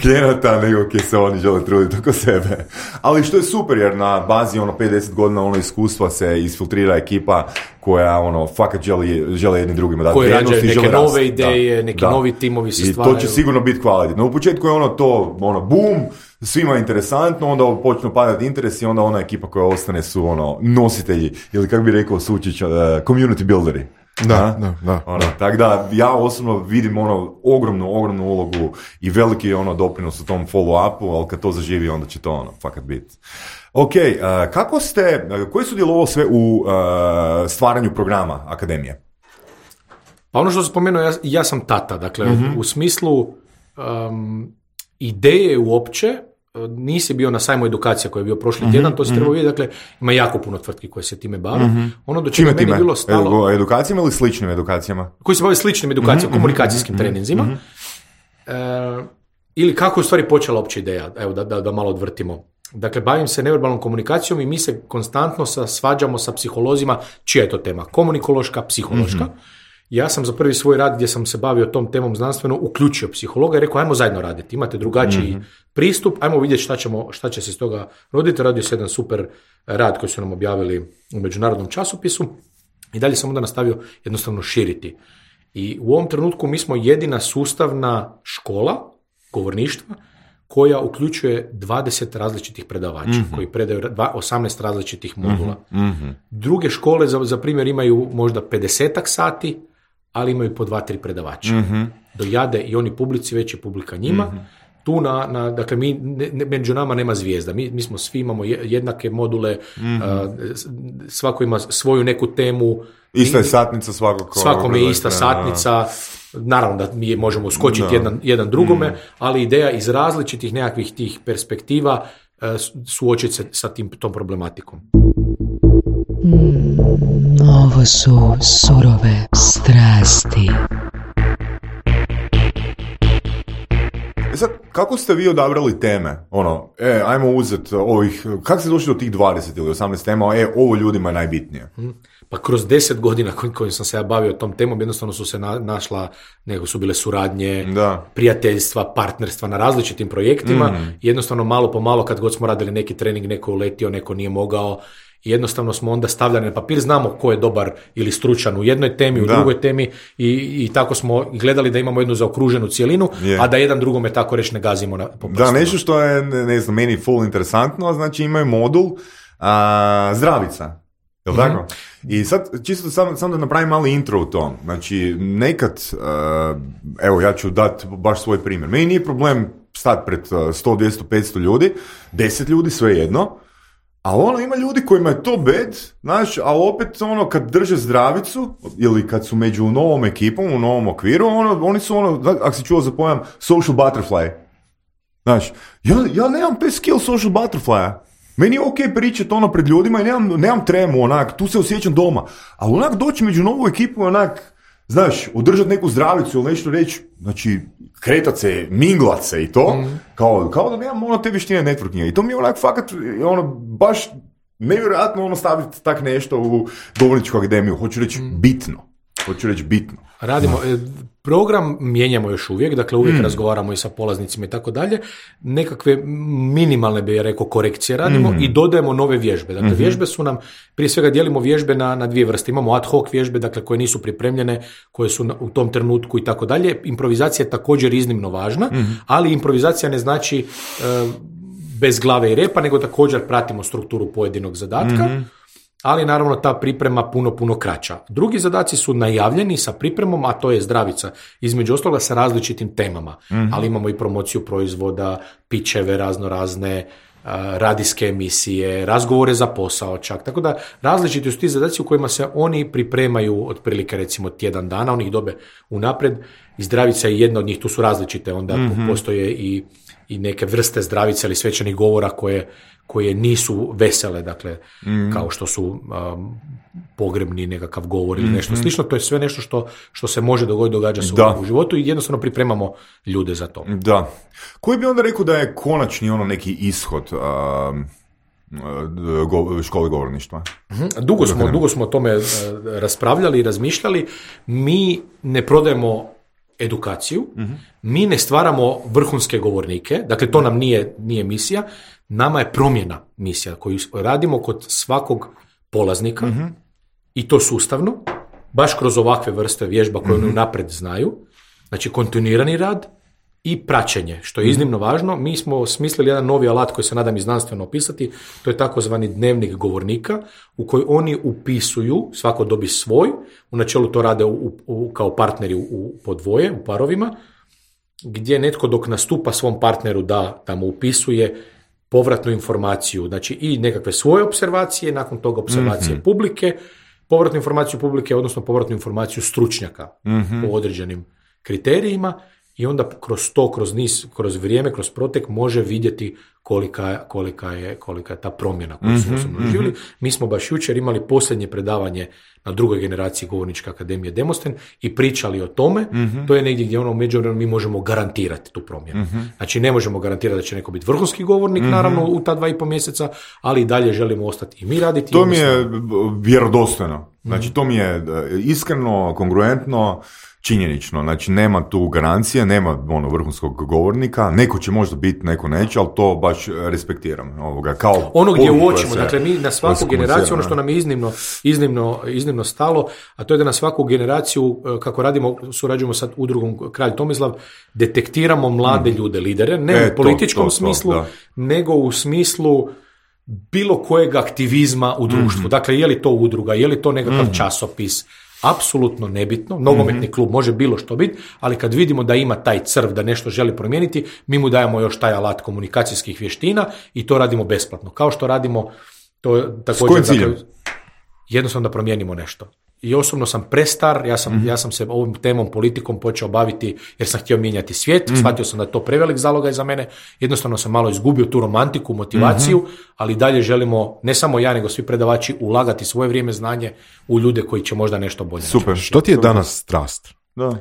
klijenata nego ki se oni žele truditi oko sebe. Ali što je super, jer na bazi 5-10 godina iskustva se isfiltrira ekipa koja fakat žele jedni drugima dati vrijednost i žele neke nove ideje, neki novi timovi se stvaraju. I to će sigurno biti kvalitetno. U početku je boom, svima je interesantno, onda počnu padati interes i onda ona ekipa koja ostane su nositelji, ili kako bi rekao Sučić, community builderi. Da. Tako da ja osobno vidim ogromnu ulogu i veliki doprinos u tom follow-upu, ali kad to zaživi onda će to fakat biti. Ok, koji su djelovali sve u stvaranju programa akademije? Pa ono što sam spomenuo, ja sam tata, dakle, u smislu ideje uopće, nisi bio na sajmu edukacija koji je bio prošli tjedan, to se treba vidjeti, dakle, ima jako puno tvrtki koje se time bave. Ono do čega meni bilo stalo... Edukacijama ili sličnim edukacijama? Koji se bave sličnim edukacijama, komunikacijskim treninzima. Ili kako je u stvari počela opća ideja, evo da malo odvrtimo. Dakle, bavim se neverbalnom komunikacijom i mi se konstantno svađamo sa psiholozima, čija je to tema? Komunikološka, psihološka. Ja sam za prvi svoj rad gdje sam se bavio tom temom znanstveno uključio psihologa i rekao, ajmo zajedno raditi, imate drugačiji pristup, ajmo vidjeti šta će se iz toga roditi. Radio se jedan super rad koji su nam objavili u međunarodnom časopisu i dalje sam onda nastavio jednostavno širiti. I u ovom trenutku mi smo jedina sustavna škola govorništva koja uključuje 20 različitih predavača koji predaju 18 različitih modula. Druge škole za primjer imaju možda 50-ak sati, ali imaju po 2-3 predavača. Dojade i oni publici, već je publika njima. Tu dakle, među nama nema zvijezda. Mi smo svi, imamo jednake module, svako ima svoju neku temu. Ista je satnica svakako. Svakome je ista satnica. Naravno da mi možemo skočiti jedan drugome, ali ideja iz različitih nekakvih tih perspektiva suočiti se sa tom problematikom. Ovo su surove strasti. Sad, kako ste vi odabrali teme? Ajmo uzeti ovih, kako ste došli do tih 20 ili 18 tema, ovo ljudima je najbitnije? Pa kroz 10 godina kojim sam se ja bavio tom temom, jednostavno su se našla, nego su bile suradnje, prijateljstva, partnerstva na različitim projektima. Jednostavno malo po malo, kad god smo radili neki trening, neko je uletio, neko nije mogao. Jednostavno smo onda stavljali na papir, znamo ko je dobar ili stručan u jednoj temi, u drugoj temi i tako smo gledali da imamo jednu zaokruženu cijelinu, a da jedan drugome tako reći ne gazimo po prstima. Da, nešto što je, ne znam, meni full interesantno, znači imaju modul zdravica. Jel' tako? I sad, čisto sam da napravim mali intro u tom. Znači, nekad, evo, ja ću dati baš svoj primjer. Meni nije problem stati pred 100, 200, 500 ljudi, 10 ljudi, sve jedno, a ima ljudi kojima je to bed, znaš, a opet kad drže zdravicu, ili kad su među novom ekipom, u novom okviru, oni su ako si čuo za pojam social butterfly. Znaš, ja nemam te skill social butterflya. Meni je ok pričati pred ljudima i nemam tremu, tu se osjećam doma. Ali doći među novu ekipu, znaš, održati neku zdravicu ili nešto reći, znači, kretat se, minglat se i to, kao da nemam te vještine networkinga. I to mi je fakat, baš nevjerojatno staviti tak nešto u govorničku akademiju. Hoću reći bitno. Radimo, program mijenjamo još uvijek, dakle uvijek razgovaramo i sa polaznicima i tako dalje. Nekakve minimalne, bi ja rekao, korekcije radimo i dodajemo nove vježbe. Dakle, vježbe su nam, prije svega dijelimo vježbe na dvije vrste. Imamo ad hoc vježbe, dakle, koje nisu pripremljene, koje su u tom trenutku i tako dalje. Improvizacija je također iznimno važna, ali improvizacija ne znači bez glave i repa, nego također pratimo strukturu pojedinog zadatka. Ali naravno ta priprema puno kraća. Drugi zadaci su najavljeni sa pripremom, a to je zdravica. Između ostaloga sa različitim temama. Ali imamo i promociju proizvoda, pičeve razne, radijske emisije, razgovore za posao čak. Tako da različiti su ti zadaci u kojima se oni pripremaju otprilike recimo tjedan dana, oni ih dobe unaprijed. I zdravica je jedna od njih, tu su različite, onda postoje i neke vrste zdravice ili svečanih govora koje nisu vesele, dakle, kao što su pogrebni nekakav govor ili nešto slično. To je sve nešto što se može dogoditi, događa se u životu i jednostavno pripremamo ljude za to. Da. Koji bi onda rekao da je konačni neki ishod škole govorništva? Dugo smo o tome raspravljali i razmišljali. Mi ne prodajemo edukaciju, mi ne stvaramo vrhunske govornike, dakle to nam nije misija, nama je promjena misija koju radimo kod svakog polaznika i to sustavno, baš kroz ovakve vrste vježba koje oni unaprijed znaju, znači kontinuirani rad i praćenje, što je iznimno važno. Mi smo smislili jedan novi alat koji se nadam i znanstveno opisati, to je takozvani dnevnik govornika u koji oni upisuju, svako dobi svoj, u načelu to rade kao partneri po dvoje, u parovima, gdje netko dok nastupa svom partneru da mu upisuje povratnu informaciju, znači i nekakve svoje opservacije, nakon toga opservacije publike povratnu informaciju publike, odnosno povratnu informaciju stručnjaka po određenim kriterijima i onda kroz to, kroz vrijeme, kroz protek može vidjeti kolika je ta promjena koju su osobno doživjeli. Mi smo baš jučer imali posljednje predavanje na drugoj generaciji Govorničke akademije Demosten i pričali o tome. To je negdje gdje u međuvremenu mi možemo garantirati tu promjenu. Znači ne možemo garantirati da će neko biti vrhunski govornik, naravno u ta 2,5 mjeseca, ali i dalje želimo ostati i mi raditi. To mi je vjerodostojno. Znači to mi je iskreno, kongruentno, činjenično, znači nema tu garancije, nema vrhunskog govornika, neko će možda biti, neko neće, ali to baš respektiram. Kao ono gdje uočimo, dakle mi na svaku generaciju, ono što nam je iznimno stalo, a to je da na svaku generaciju, kako radimo, surađujemo sad udrugom Kralj Tomislav, detektiramo mlade ljude, lidere, ne u političkom smislu, nego u smislu bilo kojeg aktivizma u društvu. Dakle, je li to udruga, je li to nekakav časopis, apsolutno nebitno, nogometni klub može bilo što biti, ali kad vidimo da ima taj crv, da nešto želi promijeniti, mi mu dajemo još taj alat komunikacijskih vještina i to radimo besplatno. Kao što radimo to također, dakle, jednostavno da promijenimo nešto. I osobno sam prestar, ja sam se ovom temom, politikom počeo baviti jer sam htio mijenjati svijet, shvatio sam da je to prevelik zalogaj za mene, jednostavno sam malo izgubio tu romantiku, motivaciju, ali dalje želimo, ne samo ja, nego svi predavači, ulagati svoje vrijeme, znanje u ljude koji će možda nešto bolje. Super, što ti je danas strast? Da.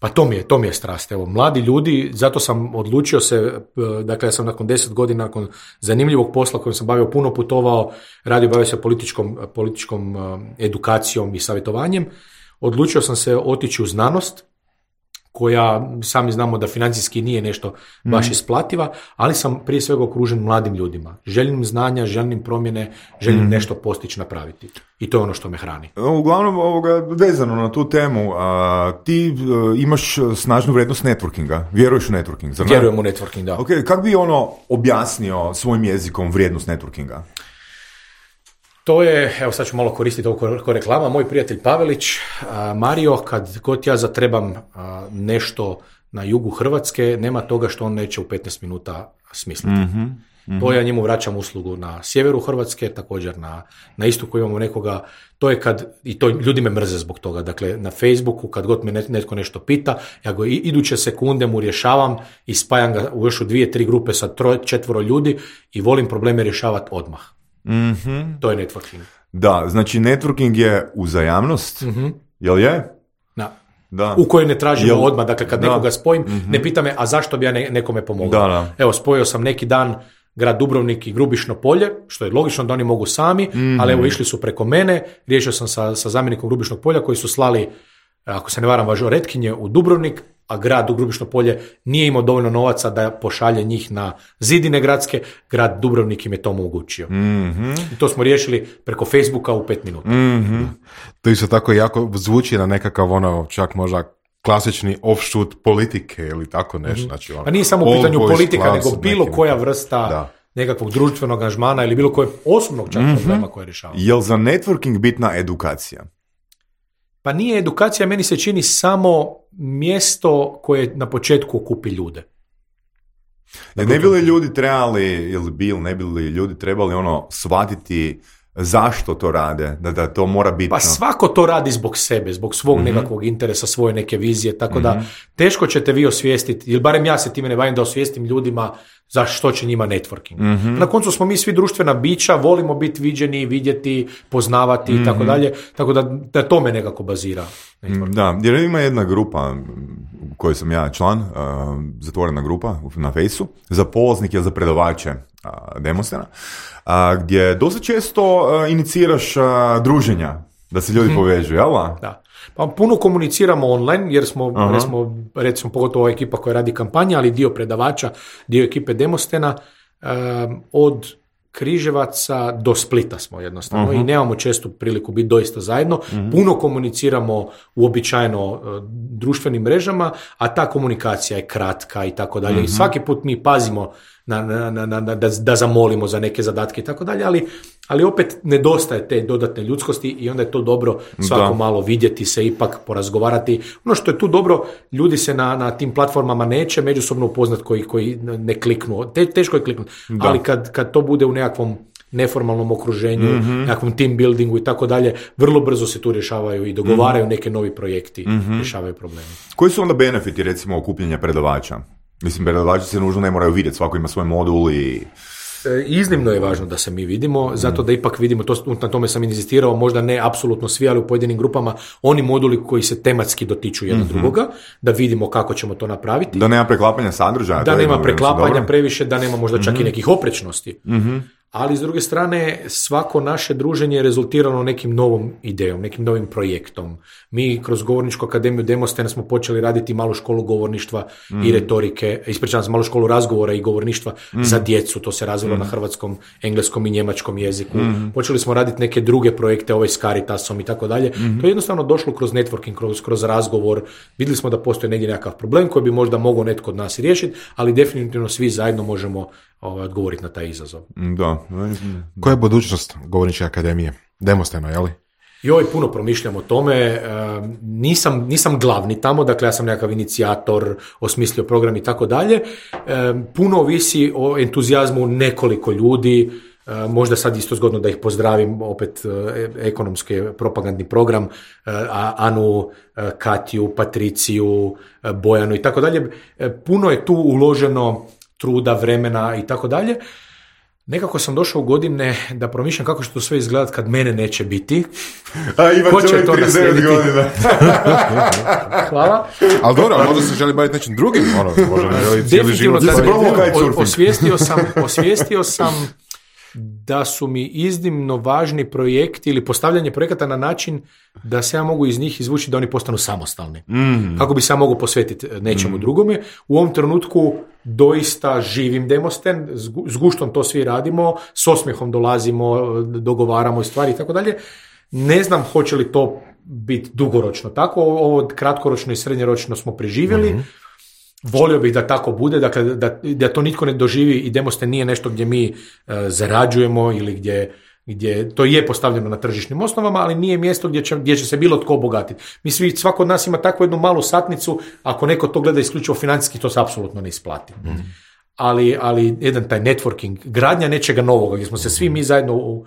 Pa to mi je strast. Evo, mladi ljudi, zato sam odlučio se, dakle ja sam nakon 10 godina, nakon zanimljivog posla kojim sam puno putovao, bavio se političkom edukacijom i savjetovanjem, odlučio sam se otići u znanost, koja sami znamo da financijski nije nešto baš isplativa, ali sam prije svega okružen mladim ljudima. Željnim znanja, željnim promjene, željnim nešto postići, napraviti. I to je ono što me hrani. Uglavnom, vezano na tu temu, ti imaš snažnu vrijednost networkinga. Vjeruješ u networking, zar ne? Vjerujem u networking, da. Ok, kako bi objasnio svojim jezikom vrijednost networkinga? To je, evo sad ću malo koristiti ovo ko reklama, moj prijatelj Pavelić, Mario, kad god ja zatrebam nešto na jugu Hrvatske, nema toga što on neće u 15 minuta smisliti. To ja njemu vraćam uslugu na sjeveru Hrvatske, također na istoku imamo nekoga, to je i to ljudi me mrze zbog toga, dakle na Facebooku kad god me netko nešto pita, ja go iduće sekunde mu rješavam i spajam ga još u 2-3 grupe sa 3-4 ljudi i volim probleme rješavati odmah. To je networking. Da, znači networking je uzajamnost, jel je? Da. U kojoj ne tražimo odmah, dakle kad nekoga spojim, ne pita me, a zašto bi ja nekome pomogao? Da. Evo, spojio sam neki dan grad Dubrovnik i Grubišno Polje, što je logično da oni mogu sami, ali evo išli su preko mene, riješio sam sa zamjenikom Grubišnog Polja koji su slali, ako se ne varam, važoretkinje u Dubrovnik, a grad u Grubišno Polje nije imao dovoljno novaca da pošalje njih na zidine gradske, grad Dubrovnik im je to omogućio. I to smo riješili preko Facebooka u 5 minuta. To isto tako jako zvuči na nekakav čak možda klasični offshoot politike ili tako nešto. Znači, pa nije samo u pitanju politika, nego bilo koja vrsta nekakvog društvenog angažmana ili bilo kojeg osobnog čak problema koje rješavamo. Je li za networking bitna edukacija? Pa nije edukacija, meni se čini samo mjesto koje na početku okupi ljude. Ne bi li ljudi trebali, ne bi li ljudi trebali shvatiti zašto to rade, da to mora biti... Pa svako to radi zbog sebe, zbog svog nekakvog interesa, svoje neke vizije, tako da teško ćete vi osvijestiti, ili barem ja se time ne bavim da osvijestim ljudima za što će njima networking. Na koncu smo mi svi društvena bića, volimo biti viđeni, vidjeti, poznavati i tako dalje, tako da to me nekako bazira. Da, jer ima jedna grupa u kojoj sam ja član, zatvorena grupa na Fejsu, za polaznike, za predavače Demostena, gdje dosta često iniciraš druženja, da se ljudi povežu, jel? Da. Pa puno komuniciramo online, jer smo, recimo, pogotovo ova ekipa koja radi kampanje, ali dio predavača, dio ekipe Demostena, od Križevaca do Splita smo jednostavno i nemamo čestu priliku biti doista zajedno. Puno komuniciramo uobičajeno društvenim mrežama, a ta komunikacija je kratka i tako dalje. I svaki put mi pazimo da zamolimo za neke zadatke i tako dalje, ali opet nedostaje te dodatne ljudskosti i onda je to dobro svako malo vidjeti se, ipak porazgovarati. Ono što je tu dobro, ljudi se na tim platformama neće međusobno upoznat koji ne kliknu. Teško je kliknuti, ali kad to bude u nekakvom neformalnom okruženju, nekakvom team buildingu i tako dalje, vrlo brzo se tu rješavaju i dogovaraju neke novi projekti, rješavaju probleme. Koji su onda benefiti, recimo, okupljanja predavača? Mislim, predavači se nužno ne moraju vidjeti, svako ima svoj modul i... Iznimno je važno da se mi vidimo, zato da ipak vidimo, na tome sam inzistirao, možda ne apsolutno svi, ali u pojedinim grupama, oni moduli koji se tematski dotiču jednog drugoga, da vidimo kako ćemo to napraviti. Da nema preklapanja sadržaja. Da nema preklapanja previše, da nema možda čak i nekih oprečnosti. Ali s druge strane, svako naše druženje je rezultirano nekim novom idejom, nekim novim projektom. Mi kroz Govorničku akademiju Demostena smo počeli raditi malu školu govorništva i retorike, ispričavam se, malu školu razgovora i govorništva za djecu, to se razvilo na hrvatskom, engleskom i njemačkom jeziku. Počeli smo raditi neke druge projekte, s Caritasom i tako dalje. To je jednostavno došlo kroz networking, kroz razgovor. Vidjeli smo da postoji negdje nekakav problem koji bi možda mogao netko od nas riješiti, ali definitivno svi zajedno možemo odgovoriti na taj izazov. Da. Koja je budućnost Govorničke akademije? Demostena, je li? Puno promišljam o tome, nisam glavni tamo, dakle ja sam nekakav inicijator, osmislio program i tako dalje. Puno ovisi o entuzijazmu nekoliko ljudi, možda sad isto zgodno da ih pozdravim, opet ekonomski propagandni program, Anu, Katju, Patriciju, Bojanu i tako dalje. Puno je tu uloženo truda, vremena i tako dalje. Nekako sam došao u godine da promišljam kako će to sve izgledati kad mene neće biti. Ko će to naslijediti? Hvala. Ali dobro, možda se želi baviti nečim drugim. Možda ne želi cijeli život. Osvijestio sam da su mi iznimno važni projekti ili postavljanje projekata na način da se ja mogu iz njih izvući da oni postanu samostalni. Kako bi se ja mogu posvetiti nečemu drugome. U ovom trenutku doista živim Demosten, s guštom to svi radimo, s osmijehom dolazimo, dogovaramo stvari i tako dalje. Ne znam hoće li to biti dugoročno tako, ovo kratkoročno i srednjoročno smo preživjeli. Volio bih da tako bude, dakle da to nitko ne doživi i Demosten nije nešto gdje mi zarađujemo ili gdje to je postavljeno na tržišnim osnovama, ali nije mjesto gdje će se bilo tko obogatiti. Svako od nas ima takvu jednu malu satnicu, ako neko to gleda isključivo financijski, to se apsolutno ne isplati. Ali jedan taj networking, gradnja nečega novoga, gdje smo se svi mi zajedno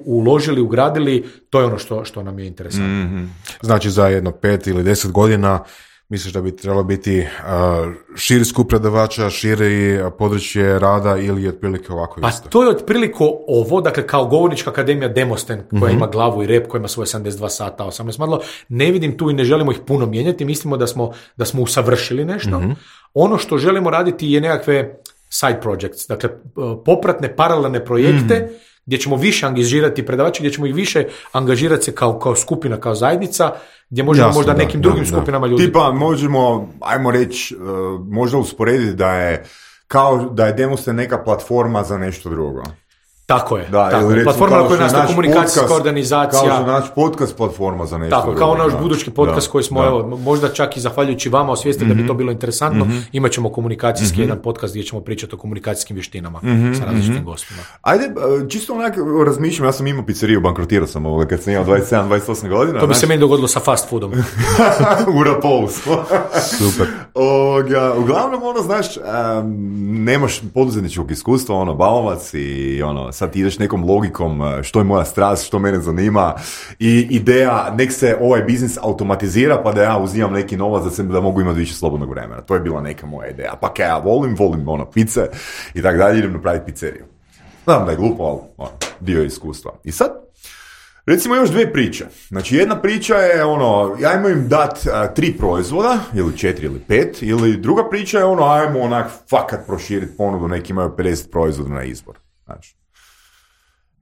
uložili, ugradili, to je ono što nam je interesantno. Znači za jedno 5 ili 10 godina misliš da bi trebalo biti širi skup predavača, širi područje rada ili otprilike ovako isto? Pa to je otprilike ovo, dakle kao Govornička akademija Demosten koja ima glavu i rep, koja ima svoje 72 sata, 18 modula, ne vidim tu i ne želimo ih puno mijenjati, mislimo da smo usavršili nešto. Ono što želimo raditi je nekakve side projects, dakle popratne, paralelne projekte gdje ćemo više angažirati predavače, gdje ćemo ih više angažirati se kao skupina, kao zajednica, gdje možemo možda nekim drugim skupinama ljudi. Tipa možemo, ajmo reći, možda usporediti da je kao da je Demosten neka platforma za nešto drugo. Tako je. Platforma na kojoj nastaje komunikacijska organizacija. Kao što naš podcast platforma za nešto. Tako, kao naš budući podcast koji smo, evo, možda čak i zahvaljujući vama osvijestili da bi to bilo interesantno, imat ćemo komunikacijski jedan podcast gdje ćemo pričati o komunikacijskim vještinama sa različitim gostima. Ajde, čisto onak razmišljam, ja sam imao pizzeriju, bankrotirao sam kad sam imao 27-28 godina. To bi se meni dogodilo sa fast foodom. U Rapolu. Super. Uglavnom, znaš, nemaš poduzetničkog iskustva, bavovac i sad ti ideš nekom logikom što je moja strast, što mene zanima i ideja nek se ovaj biznis automatizira pa da ja uzimam neki novac za sebe da mogu imati više slobodnog vremena. To je bila neka moja ideja. Pa kaj ja volim pice i tako dalje, idem napraviti pizzeriju. Znam da je glupo, ali dio iskustva. I sad, recimo još dvije priče. Znači jedna priča je ja imam dat 3 proizvoda, ili 4 ili 5, ili druga priča je ajmo onak fakat proširiti ponudu, neki imaju 50 proizvoda na izbor. Znači.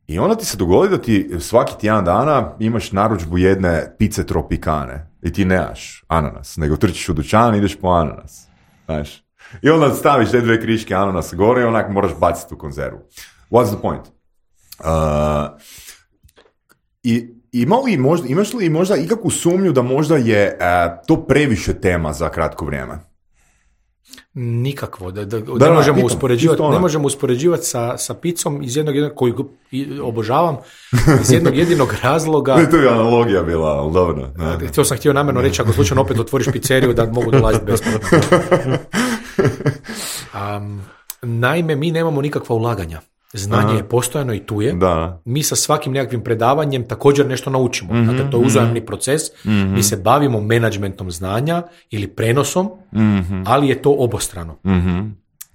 I onda ti se dogodi da ti svaki tjedan dana imaš narudžbu jedne pice tropikane i ti nemaš ananas, nego trčiš u dućan i ideš po ananas. Znaš. I onda staviš te 2 kriške ananasa gore i onak moraš baciti u konzervu. What's the point? Imaš li možda ikakvu sumnju da možda je to previše tema za kratko vrijeme? Nikakvo, ne možemo uspoređivati sa picom iz jednog koju obožavam, iz jednog jedinog razloga. To je analogija bila, ali dobro. To sam htio namjerno reći, ako slučajno opet otvoriš pizzeriju da mogu dolaziti besplatno. Naime, mi nemamo nikakva ulaganja. Znanje je postojano i tu je. Da. Mi sa svakim nekakvim predavanjem također nešto naučimo. Dakle, to je uzajamni proces. Mi se bavimo menadžmentom znanja ili prenosom, ali je to obostrano.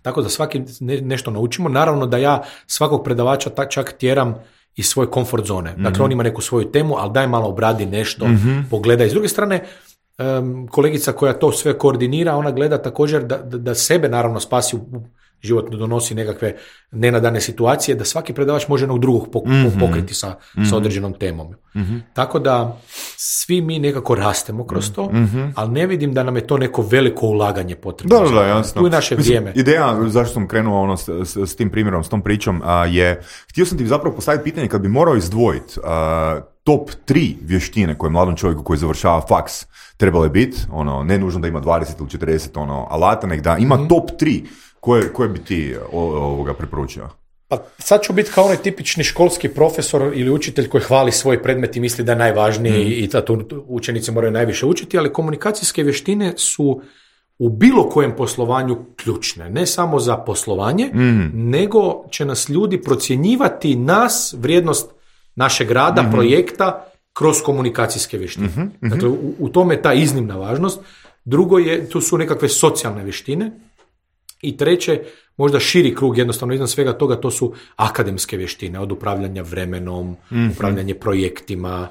Tako da svaki nešto naučimo. Naravno da ja svakog predavača čak tjeram iz svoje komfort zone. Dakle, on ima neku svoju temu, ali daj malo obradi nešto, pogledaj. S druge strane, kolegica koja to sve koordinira, ona gleda također da sebe naravno spasi u život, donosi nekakve nenadane situacije, da svaki predavač može jednog drugog pokriti sa određenom temom. Tako da svi mi nekako rastemo kroz to, ali ne vidim da nam je to neko veliko ulaganje potrebno. Da, jasno. Tu je naše vrijeme. Ideja zašto sam krenuo s tim primjerom, s tom pričom, je, htio sam ti zapravo postaviti pitanje kad bi morao izdvojiti top 3 vještine koje mladom čovjeku koji završava faks trebale biti, ne nužno da ima 20 ili 40 alata, nek da ima top 3 koje bi ti preporučio? Pa sad ću biti kao onaj tipični školski profesor ili učitelj koji hvali svoj predmet i misli da je najvažniji i da tu učenici moraju najviše učiti, ali komunikacijske vještine su u bilo kojem poslovanju ključne. Ne samo za poslovanje, nego će nas ljudi procjenjivati vrijednost našeg rada, projekta kroz komunikacijske vještine. Dakle, u tome je ta iznimna važnost. Drugo tu su nekakve socijalne vještine. I treće, možda širi krug, jednostavno iznad svega toga, to su akademske vještine, od upravljanja vremenom, upravljanje projektima,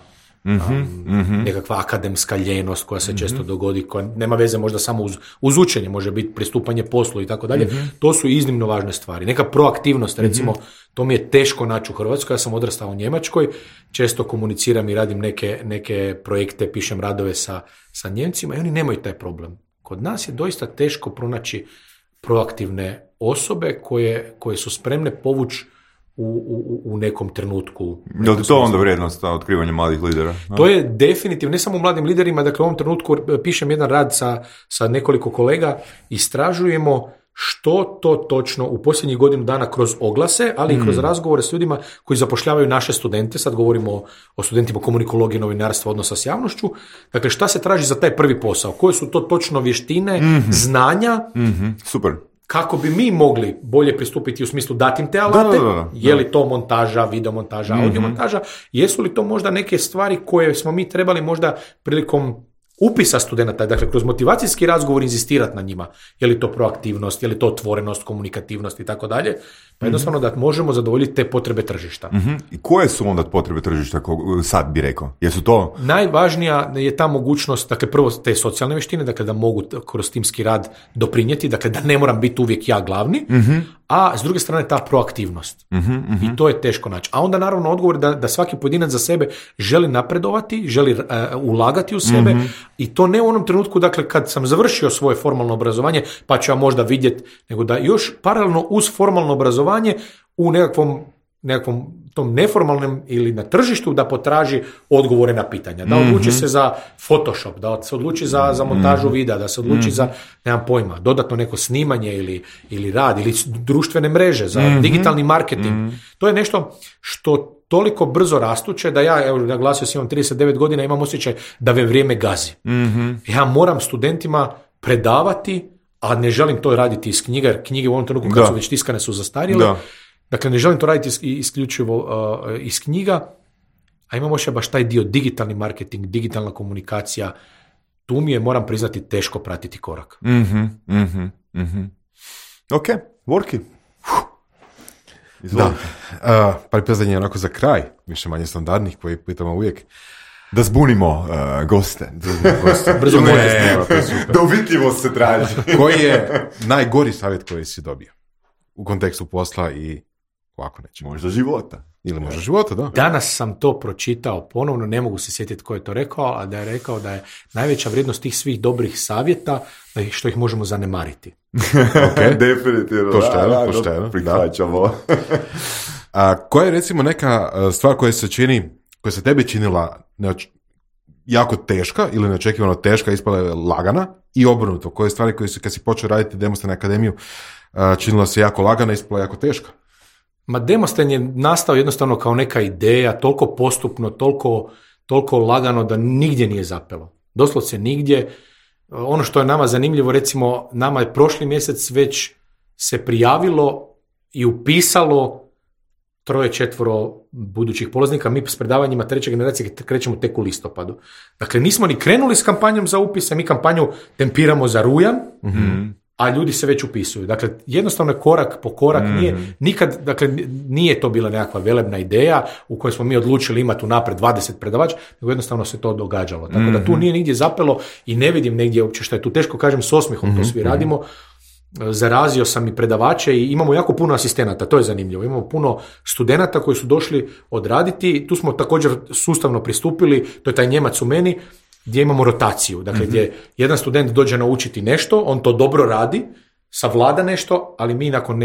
nekakva akademska ljenost koja se često dogodi, koja nema veze možda samo uz učenje, može biti pristupanje poslu i tako dalje. To su iznimno važne stvari. Neka proaktivnost, recimo, to mi je teško naći u Hrvatskoj, ja sam odrastao u Njemačkoj, često komuniciram i radim neke projekte, pišem radove sa Njemcima i oni nemaju taj problem. Kod nas je doista teško pronaći proaktivne osobe koje su spremne povući u nekom trenutku. Je li to onda vrijednost otkrivanja mladih lidera? To je definitivno, ne samo u mladim liderima, dakle u ovom trenutku pišem jedan rad sa nekoliko kolega, istražujemo što to točno u posljednjih godinu dana kroz oglase, ali i kroz razgovore s ljudima koji zapošljavaju naše studente, sad govorimo o studentima komunikologije, novinarstva, odnosa s javnošću, dakle šta se traži za taj prvi posao, koje su to točno vještine, znanja, super. Kako bi mi mogli bolje pristupiti u smislu dati im te alate, je li to montaža, videomontaža, audiomontaža, jesu li to možda neke stvari koje smo mi trebali možda prilikom upisa studenata, dakle kroz motivacijski razgovor inzistirati na njima, je li to proaktivnost, je li to otvorenost, komunikativnost i tako dalje, pa jednostavno da možemo zadovoljiti te potrebe tržišta. I koje su onda potrebe tržišta, sad bi rekao? Jesu to? Najvažnija je ta mogućnost, dakle prvo te socijalne vještine, dakle da mogu kroz timski rad doprinijeti, dakle da ne moram biti uvijek ja glavni, a s druge strane ta proaktivnost. I to je teško naći. A onda naravno odgovor da svaki pojedinac za sebe želi napredovati, želi ulagati u sebe i to ne u onom trenutku, dakle kad sam završio svoje formalno obrazovanje, pa ću ja možda vidjeti, nego da još paralelno uz formalno obrazovanje u nekakvom tom neformalnom ili na tržištu da potraži odgovore na pitanja. Da odluči se za Photoshop, da se odluči za montažu videa, da se odluči za, nemam pojma, dodatno neko snimanje ili rad, ili društvene mreže, za digitalni marketing. To je nešto što toliko brzo rastuće da ja, evo, naglasio sam, imam 39 godina, imam osjećaj da me vrijeme gazi. Ja moram studentima predavati, a ne želim to raditi iz knjiga, jer knjige u ovom trenutku kad su već tiskane su zastarjele. Dakle, ne želim to raditi isključivo iz knjiga, a imamo još baš taj dio digitalni marketing, digitalna komunikacija. Tu mi je, moram priznati, teško pratiti korak. Ok, Vorki. Da, par pitanje onako za kraj, više manje standardnih, koji pitamo uvijek. Da zbunimo goste. Brzo moje. Da uvitljivost se traži. Koji je najgori savjet koji si dobio? U kontekstu posla i ovako neće. Možda života. Ili možda života, da. Danas sam to pročitao ponovno, ne mogu se sjetiti ko je to rekao, a da je rekao da je najveća vrijednost tih svih dobrih savjeta što ih možemo zanemariti. Okay. Definitivno. Pošteno. Prihvaćamo. Koja je recimo neka stvar koja se tebi činila jako teška ili neočekivano teška, ispala je lagana i obrnuto? Koje stvari koje kad si počeo raditi Demostan akademiju činila se jako lagana, ispala jako teška? Ma Demostan je nastao jednostavno kao neka ideja, toliko postupno, toliko lagano da nigdje nije zapelo. Doslovce nigdje. Ono što je nama zanimljivo, recimo, nama je prošli mjesec već se prijavilo i upisalo 3-4 budućih polaznika, mi s predavanjima 3. generacije krećemo tek u listopadu. Dakle, nismo ni krenuli s kampanjom za upise, mi kampanju tempiramo za rujan, a ljudi se već upisuju. Dakle, jednostavno je korak po korak, nije to bila nekakva velebna ideja u kojoj smo mi odlučili imati unaprijed 20 predavača, nego jednostavno se to događalo. Tako da tu nije nigdje zapelo i ne vidim negdje uopće što je tu teško, kažem, s osmihom to svi radimo. Zarazio sam i predavače i imamo jako puno asistenata, to je zanimljivo. Imamo puno studenata koji su došli odraditi, tu smo također sustavno pristupili, to je taj Njemac u meni, gdje imamo rotaciju, dakle gdje jedan student dođe naučiti nešto, on to dobro radi, savlada nešto, ali mi nakon,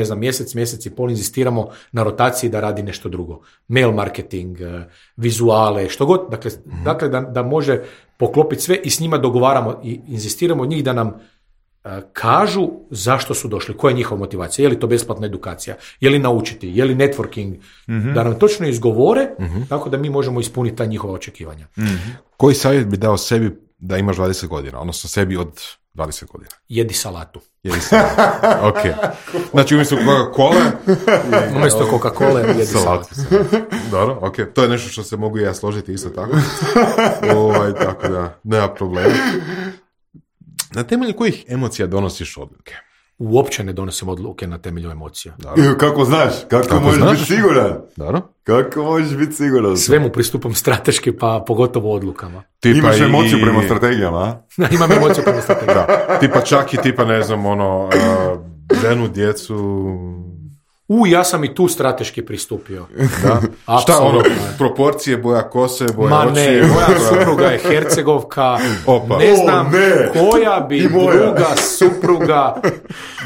mjesec i pol inzistiramo na rotaciji da radi nešto drugo. Mail marketing, vizuale, što god, dakle da može poklopiti sve i s njima dogovaramo i inzistiramo od njih da nam kažu zašto su došli, koja je njihova motivacija, je li to besplatna edukacija, je li naučiti, je li networking, da nam točno izgovore, tako da mi možemo ispuniti ta njihova očekivanja. Koji savjet bi dao sebi da imaš 20 godina, odnosno sebi od 20 godina? Jedi salatu. Ok. Znači umjesto Coca-Cola jedi salatu. Dobro, ok. To je nešto što se mogu i ja složiti isto tako. Tako da, nema problema. Na temelju kojih emocija donosiš odluke? Uopće ne donosim odluke na temelju emocija. Kako znaš? Kako možeš biti siguran? Dobro. Kako možeš biti siguran? Svemu pristupam strateški, pa pogotovo odlukama. Imaš emociju prema strategijama, a? Imam emociju prema strategijama. Tipa čak i ženu, djecu... Ja sam i tu strateški pristupio. Da. Šta proporcije, boja kose, boja oči? Ne, moja supruga je Hercegovka, ne znam koja bi druga supruga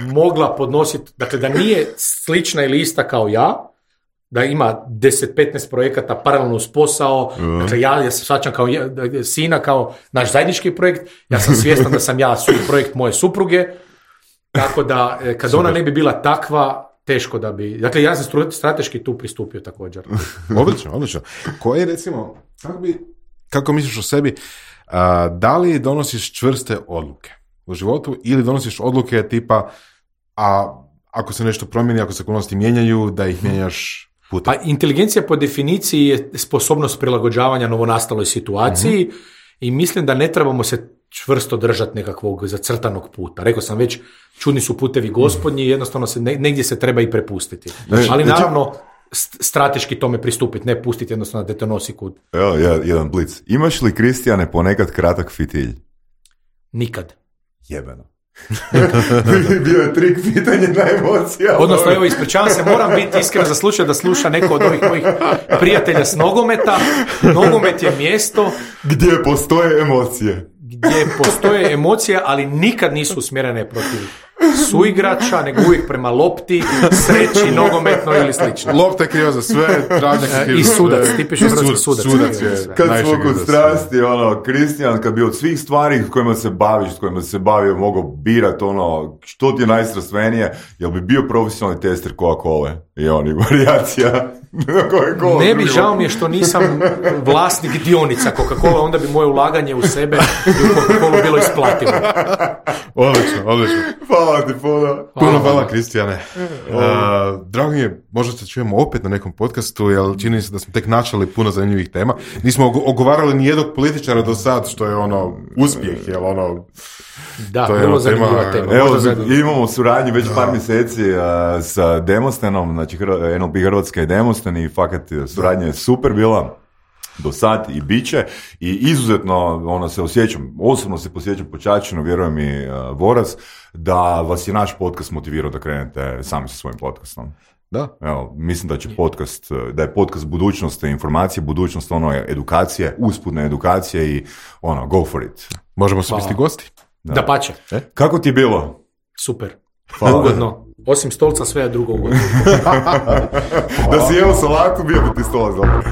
mogla podnositi, dakle da nije slična ili ista kao ja, da ima 10-15 projekata paralelno uz posao, dakle ja se shvaćam kao sina, kao naš zajednički projekt, ja sam svjestan da sam ja projekt moje supruge, tako da kad ona ne bi bila takva, teško da bi... Dakle, ja sam strateški tu pristupio također. Odlično. Koji, recimo, kako misliš o sebi, da li donosiš čvrste odluke u životu ili donosiš odluke tipa, ako se nešto promijeni, ako se okolnosti mijenjaju, da ih mijenjaš putem? Pa inteligencija po definiciji je sposobnost prilagođavanja novonastaloj situaciji i mislim da ne trebamo se čvrsto držati nekakvog zacrtanog puta. Rekao sam već, čudni su putevi gospodnji, jednostavno negdje se treba i prepustiti. Ali naravno, strateški tome pristupiti, ne pustiti jednostavno da te nosi kud. Evo, jedan blic. Imaš li, Kristijane, ponekad kratak fitilj? Nikad. Jebeno. Bio je trik pitanje na emocija. Odnosno, evo, ispričavam se, moram biti iskren za slučaj da sluša neko od ovih mojih prijatelja s nogometa. Nogomet je mjesto gdje postoje emocije. Ali nikad nisu usmjerene protiv suigrača, nego uvijek prema lopti, sreći, nogometno ili slično. Lopta je kriva za sve, travnjak je kriva i sudac, tipično hrvatski sudac. Kad smo kod strasti, Kristijan, kad bi od svih stvari s kojima se baviš, s kojima se bavio, mogao birati što ti je najstrastvenije, jel bi bio profesionalni tester Coca-Cola i varijacija? Ne bi, žao mi je što nisam vlasnik dionica Coca-Cola, onda bi moje ulaganje u sebe i u Coca-Cola bilo isplativo. Odlično. Hvala ti puno. Hvala, Kristijane. Drago mi je, možda se čujemo opet na nekom podcastu, jer čini se da smo tek načeli puno zanimljivih tema. Nismo ogovarali ni jednog političara do sad, što je uspjeh, Da, vrlo zanimljiva tema. Evo, imamo suradnju već par mjeseci sa Demostenom, znači NLP Hrvatska i Demosten, i fakat suradnja je super bila do sad i bit će, i izuzetno se osjećam, osobno se posjećam počačeno, vjerujem i Voras, da vas je naš podcast motivirao da krenete sami sa svojim podcastom. Da. Evo, mislim da je podcast budućnost informacije, budućnost edukacije, usputne edukacije i go for it. Možemo se biti gosti. Da pače. Kako ti je bilo? Super. Ugodno. Osim stolca, sve je drugo ugodno. Da si jeo salatu, bio bi ti stolac dobro.